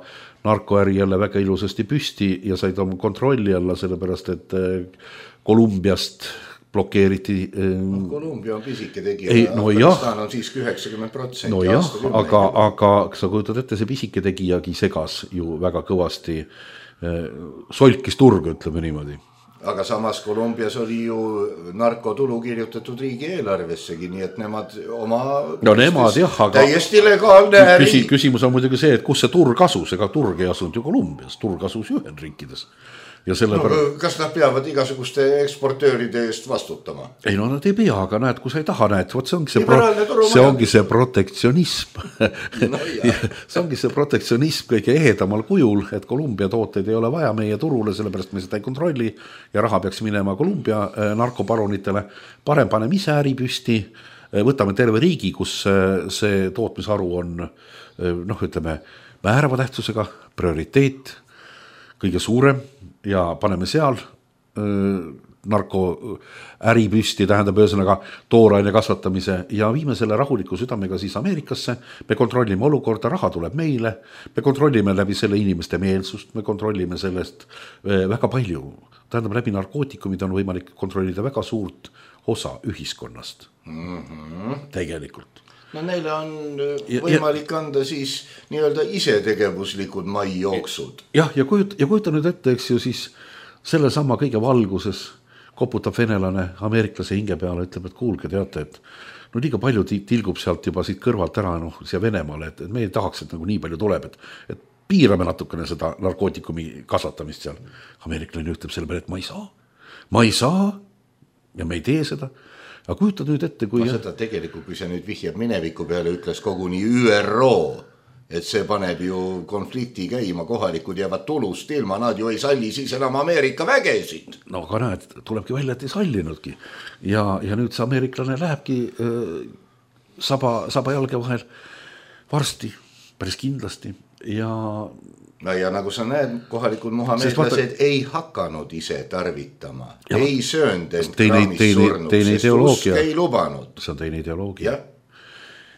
narkoäri jälle väga ilusasti püsti ja said oma kontrolli alla, sellepärast et Kolumbiast blokeeriti. No, Kolumbia on pisike tegija, ei, no Afganistan on siiski üheksakümmend protsenti. No jah, aga, aga sa kujutad ette, see pisike tegijagi segas ju väga kõvasti, solkis turg, ütleme niimoodi. Aga samas Kolumbias oli ju narkotulu kirjutatud riigi eelarvessegi, nii et nemad oma no nemad jah, aga täiesti legaalne küsi, küsimus on muidugi see, et kus see turg asus, ega turg ei asunud ju Kolumbias, turg asus ju Ühendriikides. Ja selle no, pärast... Kas nad peavad igasuguste eksportööride eest vastutama? Ei no nad ei pea, aga näed, kui sa ei taha, näed, võt, see ongi see, pro... see, ongi see protektsionism. No, see ongi see protektsionism kõige ehedamal kujul, et Kolumbia tooteid ei ole vaja meie turule, sellepärast me seda ei kontrolli ja raha peaks minema Kolumbia narkobaronitele. Parem paneme ise äri püsti, võtame terve riigi, kus see tootmisharu on, noh, ütleme, määrava tähtsusega, prioriteet, kõige suurem ja paneme seal narko äri püsti, tähendab ühesõnaga tooraine kasvatamise ja viime selle rahuliku südamega siis Ameerikasse, me kontrollime olukorda, raha tuleb meile, me kontrollime läbi selle inimeste meelsust, me kontrollime sellest väga palju, tähendab läbi narkootikumid on võimalik kontrollida väga suurt osa ühiskonnast mm-hmm. tegelikult. No neile on võimalik ja, anda siis nii-öelda isetegevuslikud maijooksud. Jah, ja kujuta, ja kujuta nüüd ette, eks ju siis selle sama kõige valguses koputab venelane ameeriklase hinge peale, ütleb, et kuulge, teate, et no liiga palju tilgub sealt juba siit kõrvalt ära no, siia Venemaale, et, et me ei tahaks, et nagu nii palju tuleb, et, et piirame natukene seda narkootikumi kasvatamist seal. Ameeriklane ütleb selle peale, et ma ei saa, ma ei saa ja me ei tee seda. Aga kujutad nüüd ette, kui... Ma seda tegelikult, kui see nüüd vihjab mineviku peale, ütles koguni Ü R O, et see paneb ju konflikti käima, kohalikud jäävad tulust ilma, nad ju ei salli siis enam Ameerika vägesid. No aga näed, tulebki välja, et ei sallinudki. Ja, ja nüüd see ameeriklane lähebki äh, saba, saba jalge vahel varsti, päris kindlasti ja... No ja nagu sa näed, kohalikud muhameedlased vaata... ei hakanud ise tarvitama, ja, ei söönd end kraamis surnud, sest usk ei lubanud. See on teine ideoloogia. Ja.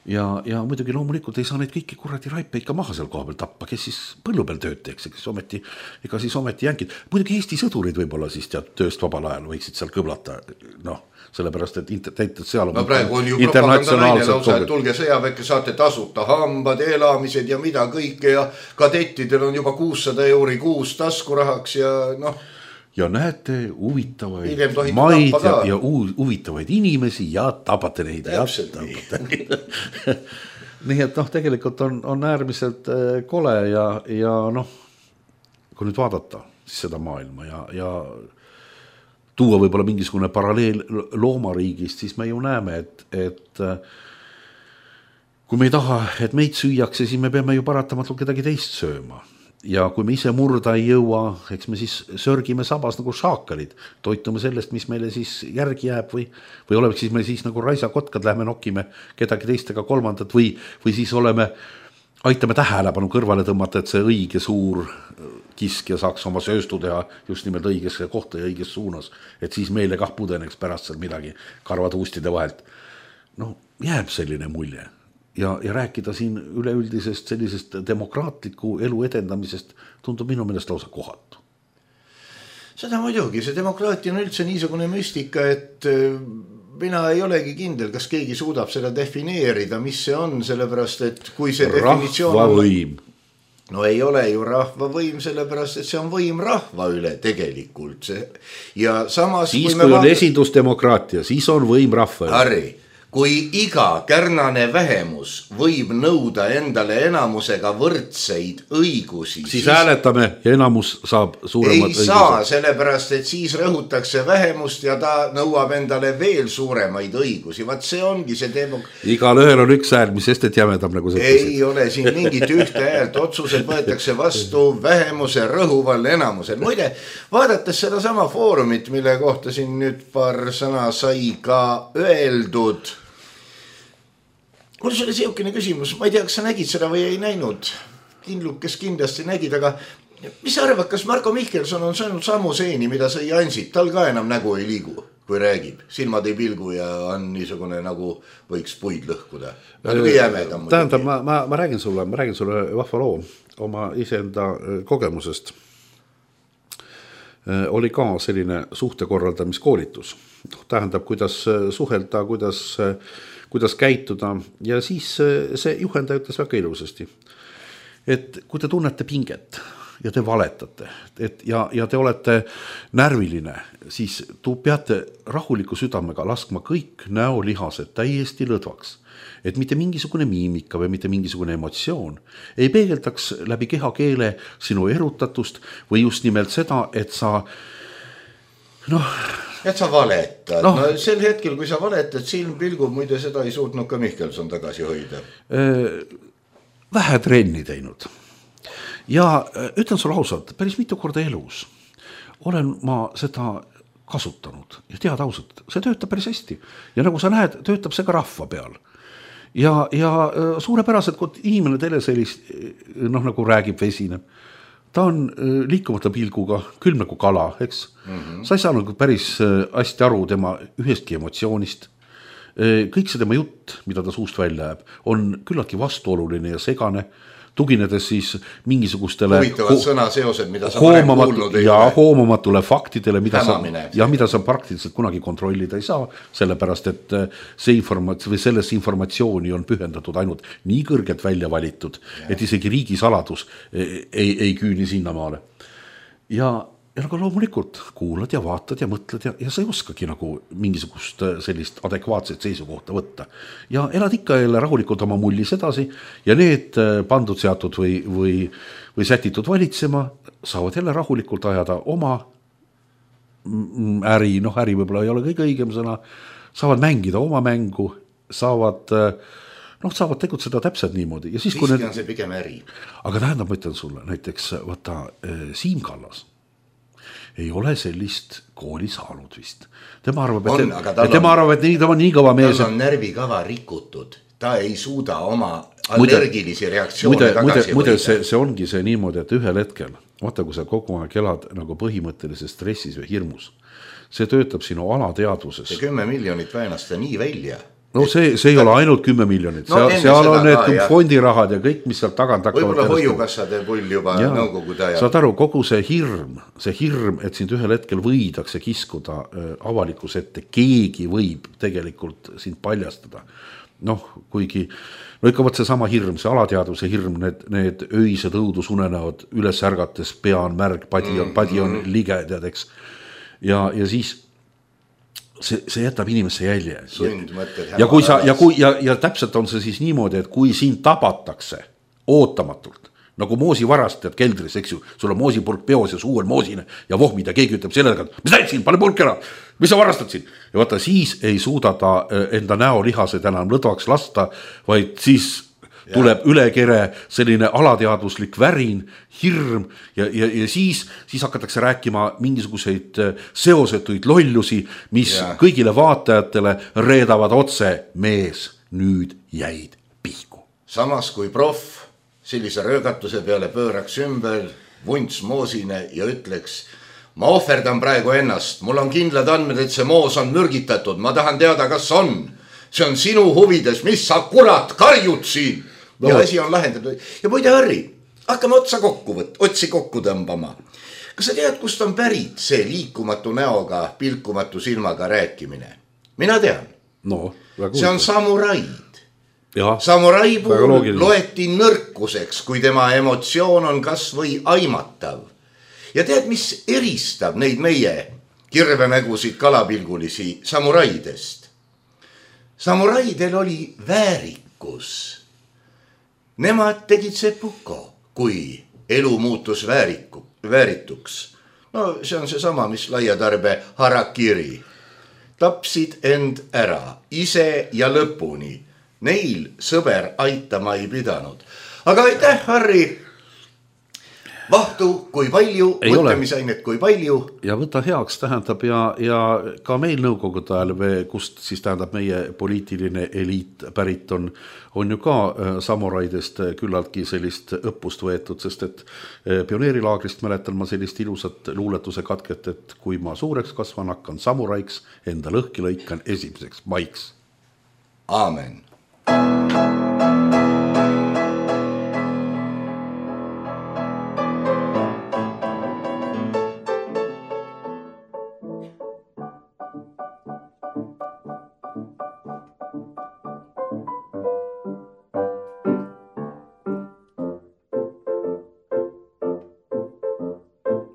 Ja, ja muidugi loomulikult ei saa neid kõiki kuradi raipeid ka maha seal koha peal tappa, kes siis põllu peal tööd teeks, kes ometi, ega siis ometi jänkid. Muidugi Eesti sõdurid võib-olla siis tead tööst vabal ajal võiksid seal kõblata, noh, sellepärast, et täitud seal on... No praegu on ju propagandanaine lausa, et tulge sõjaväkke, saate tasuta hambad, elamised ja mida kõike ja kadettidel on juba kuussada euri kuus taskurahaks ja noh... Ja näete huvitavaid maid ja, ja huvitavaid inimesi ja tapate neid. Täpselt nii. Nii et noh, tegelikult on, on äärmiselt kole ja, ja noh, kui nüüd vaadata siis seda maailma ja, ja tuua võib-olla mingisugune paralleel loomariigist, siis me ju näeme, et, et kui me ei taha, et meid süüakse, siis me peame ju paratamatult kedagi teist sööma. Ja kui me ise murda ei jõua, eks me siis sörgime sabas nagu šaakalid, toitume sellest, mis meile siis järgi jääb või, või oleme siis me siis nagu raisakotkad, lähme nokime kedagi teistega kolmandat või, või siis oleme, aitame tähelepanu kõrvale tõmmata, et see õige suur kiskja saaks oma sööstu teha just nimelt õigesse kohta ja õiges suunas, et siis meile kah pudeneks pärast seal midagi karvatuustide vahelt. No jääb selline mulje. Ja, ja rääkida siin üleüldisest sellisest demokraatliku elu edendamisest tundub minu meelest lausa kohatu. Seda muidugi, see demokraatia on üldse niisugune müstika, et mina ei olegi kindel, kas keegi suudab seda defineerida, mis see on, sellepärast, et kui see definitsioon on... Rahvavõim. No ei ole ju rahvavõim, sellepärast, et see on võim rahva üle tegelikult. See... Ja samas... Siis kui, kui on vaat... esindusdemokraatia, siis on võim rahva üle. Harri. kui iga kärnane vähemus võib nõuda endale enamusega võrdseid õigusi, siis, siis hääletame ja enamus saab suuremad õigused. Ei saa, sellepärast, et siis rõhutakse vähemust ja ta nõuab endale veel suuremaid õigusi. Vaat see ongi see demok... Igal ühel on üks hääl, mis sest, et jämedam nagu see. Ei ole siin mingit ühte häält, otsused võetakse vastu vähemuse rõhuval enamusel. Muide, vaadates seda sama foorumit, mille kohta siin nüüd paar sõna sai ka öeldud, mul oli seukene küsimus, ma ei tea, kas sa nägid seda või ei näinud, Kindlukes kindlasti nägid, aga mis sa arvad, kas Marko Mihkelson on saanud samu seeni, mida sai Ansip, tal ka enam nägu ei liigu, kui räägib, silmad ei pilgu ja on niisugune nagu võiks puid lõhkuda. Jämedam, tähendab, ma, ma, ma räägin sulle, ma räägin sulle vahva loo oma iseenda kogemusest. Oli ka selline suhtekorraldamiskoolitus. Tähendab, kuidas suhelda, kuidas kuidas käituda ja siis see juhendaja ütles väga ilusasti, et kui te tunnete pinget ja te valetate et, ja, ja te olete närviline, siis tu peate rahuliku südamega laskma kõik näolihased täiesti lõdvaks, et mitte mingisugune miimika või mitte mingisugune emotsioon ei peegeldaks läbi kehakeele sinu erutatust või just nimelt seda, et sa noh, et sa valetad. No. no sel hetkel, kui sa valetad, silm pilgub, muide seda ei suutnud ka Mihkelson tagasi hoida. Vähe trenni teinud. Ja ütlen sulle ausalt, päris mitu korda elus olen ma seda kasutanud ja tead ausalt, see töötab päris hästi. Ja nagu sa näed, töötab see ka rahva peal. Ja, ja suurepäraselt, kui inimene teile sellist, noh nagu räägib vesineb, ta on liikumata pilguga, külm nagu kala, eks? Mm-hmm. Sa ei saa nagu päris hästi aru tema ühestki emotsioonist. Kõik see tema jutt, mida ta suust välja jääb, on küllaltki vastuoluline ja segane, tuginedes siis mingisugustele huvitavad ho- sõnaseosed, mida sa varem kuulnud ei ja ole. hoomamatule faktidele, mida sa, Hämamine. ja mida sa praktiliselt kunagi kontrollida ei saa, sellepärast et see informat- või selles informatsiooni on pühendatud ainult nii kõrgelt välja valitud, ja. Et isegi riigisaladus ei, ei, ei küüni sinnamaale. Ja Ja nagu loomulikult kuulad ja vaatad ja mõtled ja, ja sa ei oskagi nagu mingisugust sellist adekvaatset seisukohta võtta. Ja elad ikka jälle rahulikult oma mullis edasi ja need pandud seatud või, või, või sätitud valitsema saavad jälle rahulikult ajada oma äri, noh äri võib-olla ei ole kõige õigem sõna, saavad mängida oma mängu, saavad, noh, saavad tegutseda täpselt niimoodi. Ja siis, Siiski need... on see pigem äri. Aga tähendab, ma ütlen sulle, näiteks vaata Siim Kallas ei ole sellist kooli saanud vist. Tema arvab, et, on, et, tema on, arvab, et nii, ta on nii kõva mees. Tal on närvikava rikutud. Ta ei suuda oma allergilisi reaktsioone muide, tagasi muide, see, see ongi see niimoodi, et ühel hetkel, vaata, kui sa kogu aeg elad nagu põhimõttelises stressis või hirmus, see töötab sinu alateadvuses. See kümme miljonit väänasta nii välja. No see, see ei ole ainult kümme miljonit, no, seal, seal on need ka, fondirahad ja kõik, mis seal tagant hakkavad. Võib-olla hoiukassade pull juba ja, nõukogu tajab. Saad aru, kogu see hirm, see hirm, et sind ühel hetkel võidakse kiskuda avalikus ette, keegi võib tegelikult sind paljastada. Noh, kuigi, no ikka võt see sama hirm, see alateadvuse hirm, need, need öised õudusunenäod üles ärgates, pea on märg, padi on, padi on lige, tead, eks. Ja, ja siis See, see jätab inimesse jälje. Sundmõtted, ja, kui sa, ja, kui, ja, ja täpselt on see siis niimoodi, et kui sind tabatakse ootamatult, nagu moosivarastajad keldris, eks ju, sul on moosipulk peos ja suu on moosine ja vohmid ja keegi ütleb sellega, et mis näid siin, pane pulk ära, mis sa varastad siin? Ja vaata, siis ei suuda ta enda näolihased enam lõdvaks lasta, vaid siis ja. Tuleb üle kere selline alateadvuslik värin, hirm ja, ja, ja siis, siis hakatakse rääkima mingisuguseid seosetuid lollusi, mis ja. Kõigile vaatajatele reedavad otse, mees, nüüd jäid pihku. Samas kui proff sellise röögatuse peale pööraks ümber vunts moosine ja ütleks, ma ohverdan praegu ennast, mul on kindlad andmed, et see moos on mürgitatud, ma tahan teada, kas on. See on sinu huvides, mis sa kurat karjud siin. No. Ja asi on lahendatud. Ja muide, Harri, hakkame otsa kokku võt, otsi kokku tõmbama. Kas sa tead, kust on pärit see liikumatu näoga, pilkumatu silmaga rääkimine? Mina tean. No, see on samuraid. Ja, samurai puhul loeti nõrkuseks, kui tema emotsioon on kas või aimatav. Ja tead, mis eristab neid meie kirvenägusid kalapilgulisi samuraidest? Samuraidel oli väärikus. Nemad tegid sepuko, kui elu muutus vääriku, väärituks. No see on see sama, mis laiatarbe harakiri. Tapsid end ära, ise ja lõpuni. Neil sõber aitama ei pidanud. Aga aitäh, Harri! Vahtu kui palju, mõtlemisainet kui palju. Ja võta heaks tähendab ja, ja ka meil nõukogude ajal, kust siis tähendab meie poliitiline eliit pärit on, on ju ka samuraidest küllaltki sellist õppust võetud, sest et pioneerilaagrist mäletan ma sellist ilusat luuletuse katket, et kui ma suureks kasvan, hakkan samuraiks, enda lõhki lõikan esimeseks maiks. Aamen.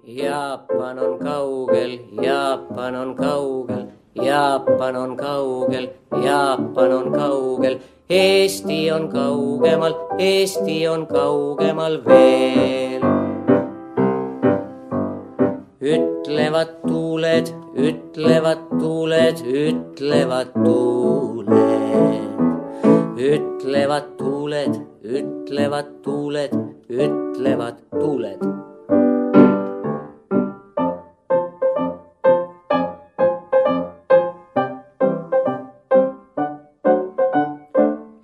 Jaapan on kaugel, Jaapan on kaugel, Jaapan on kaugel, Jaapan on kaugel, Eesti on kaugemal, Eesti on kaugemal veel. Ütlevad tuuled, ütlevad tuuled, ütlevad tuuled, ütlevad tuuled, ütlevad tuuled, ütlevad tuuled.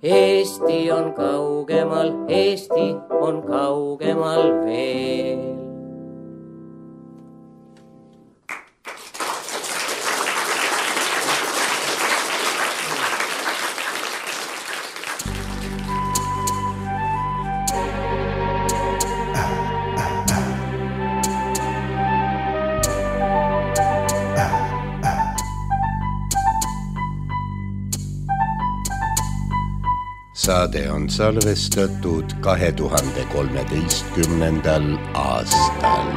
Eesti on kaugemal, Eesti on kaugemal veel. Saade on salvestatud kahe tuhande kolmeteistkümnendal aastal.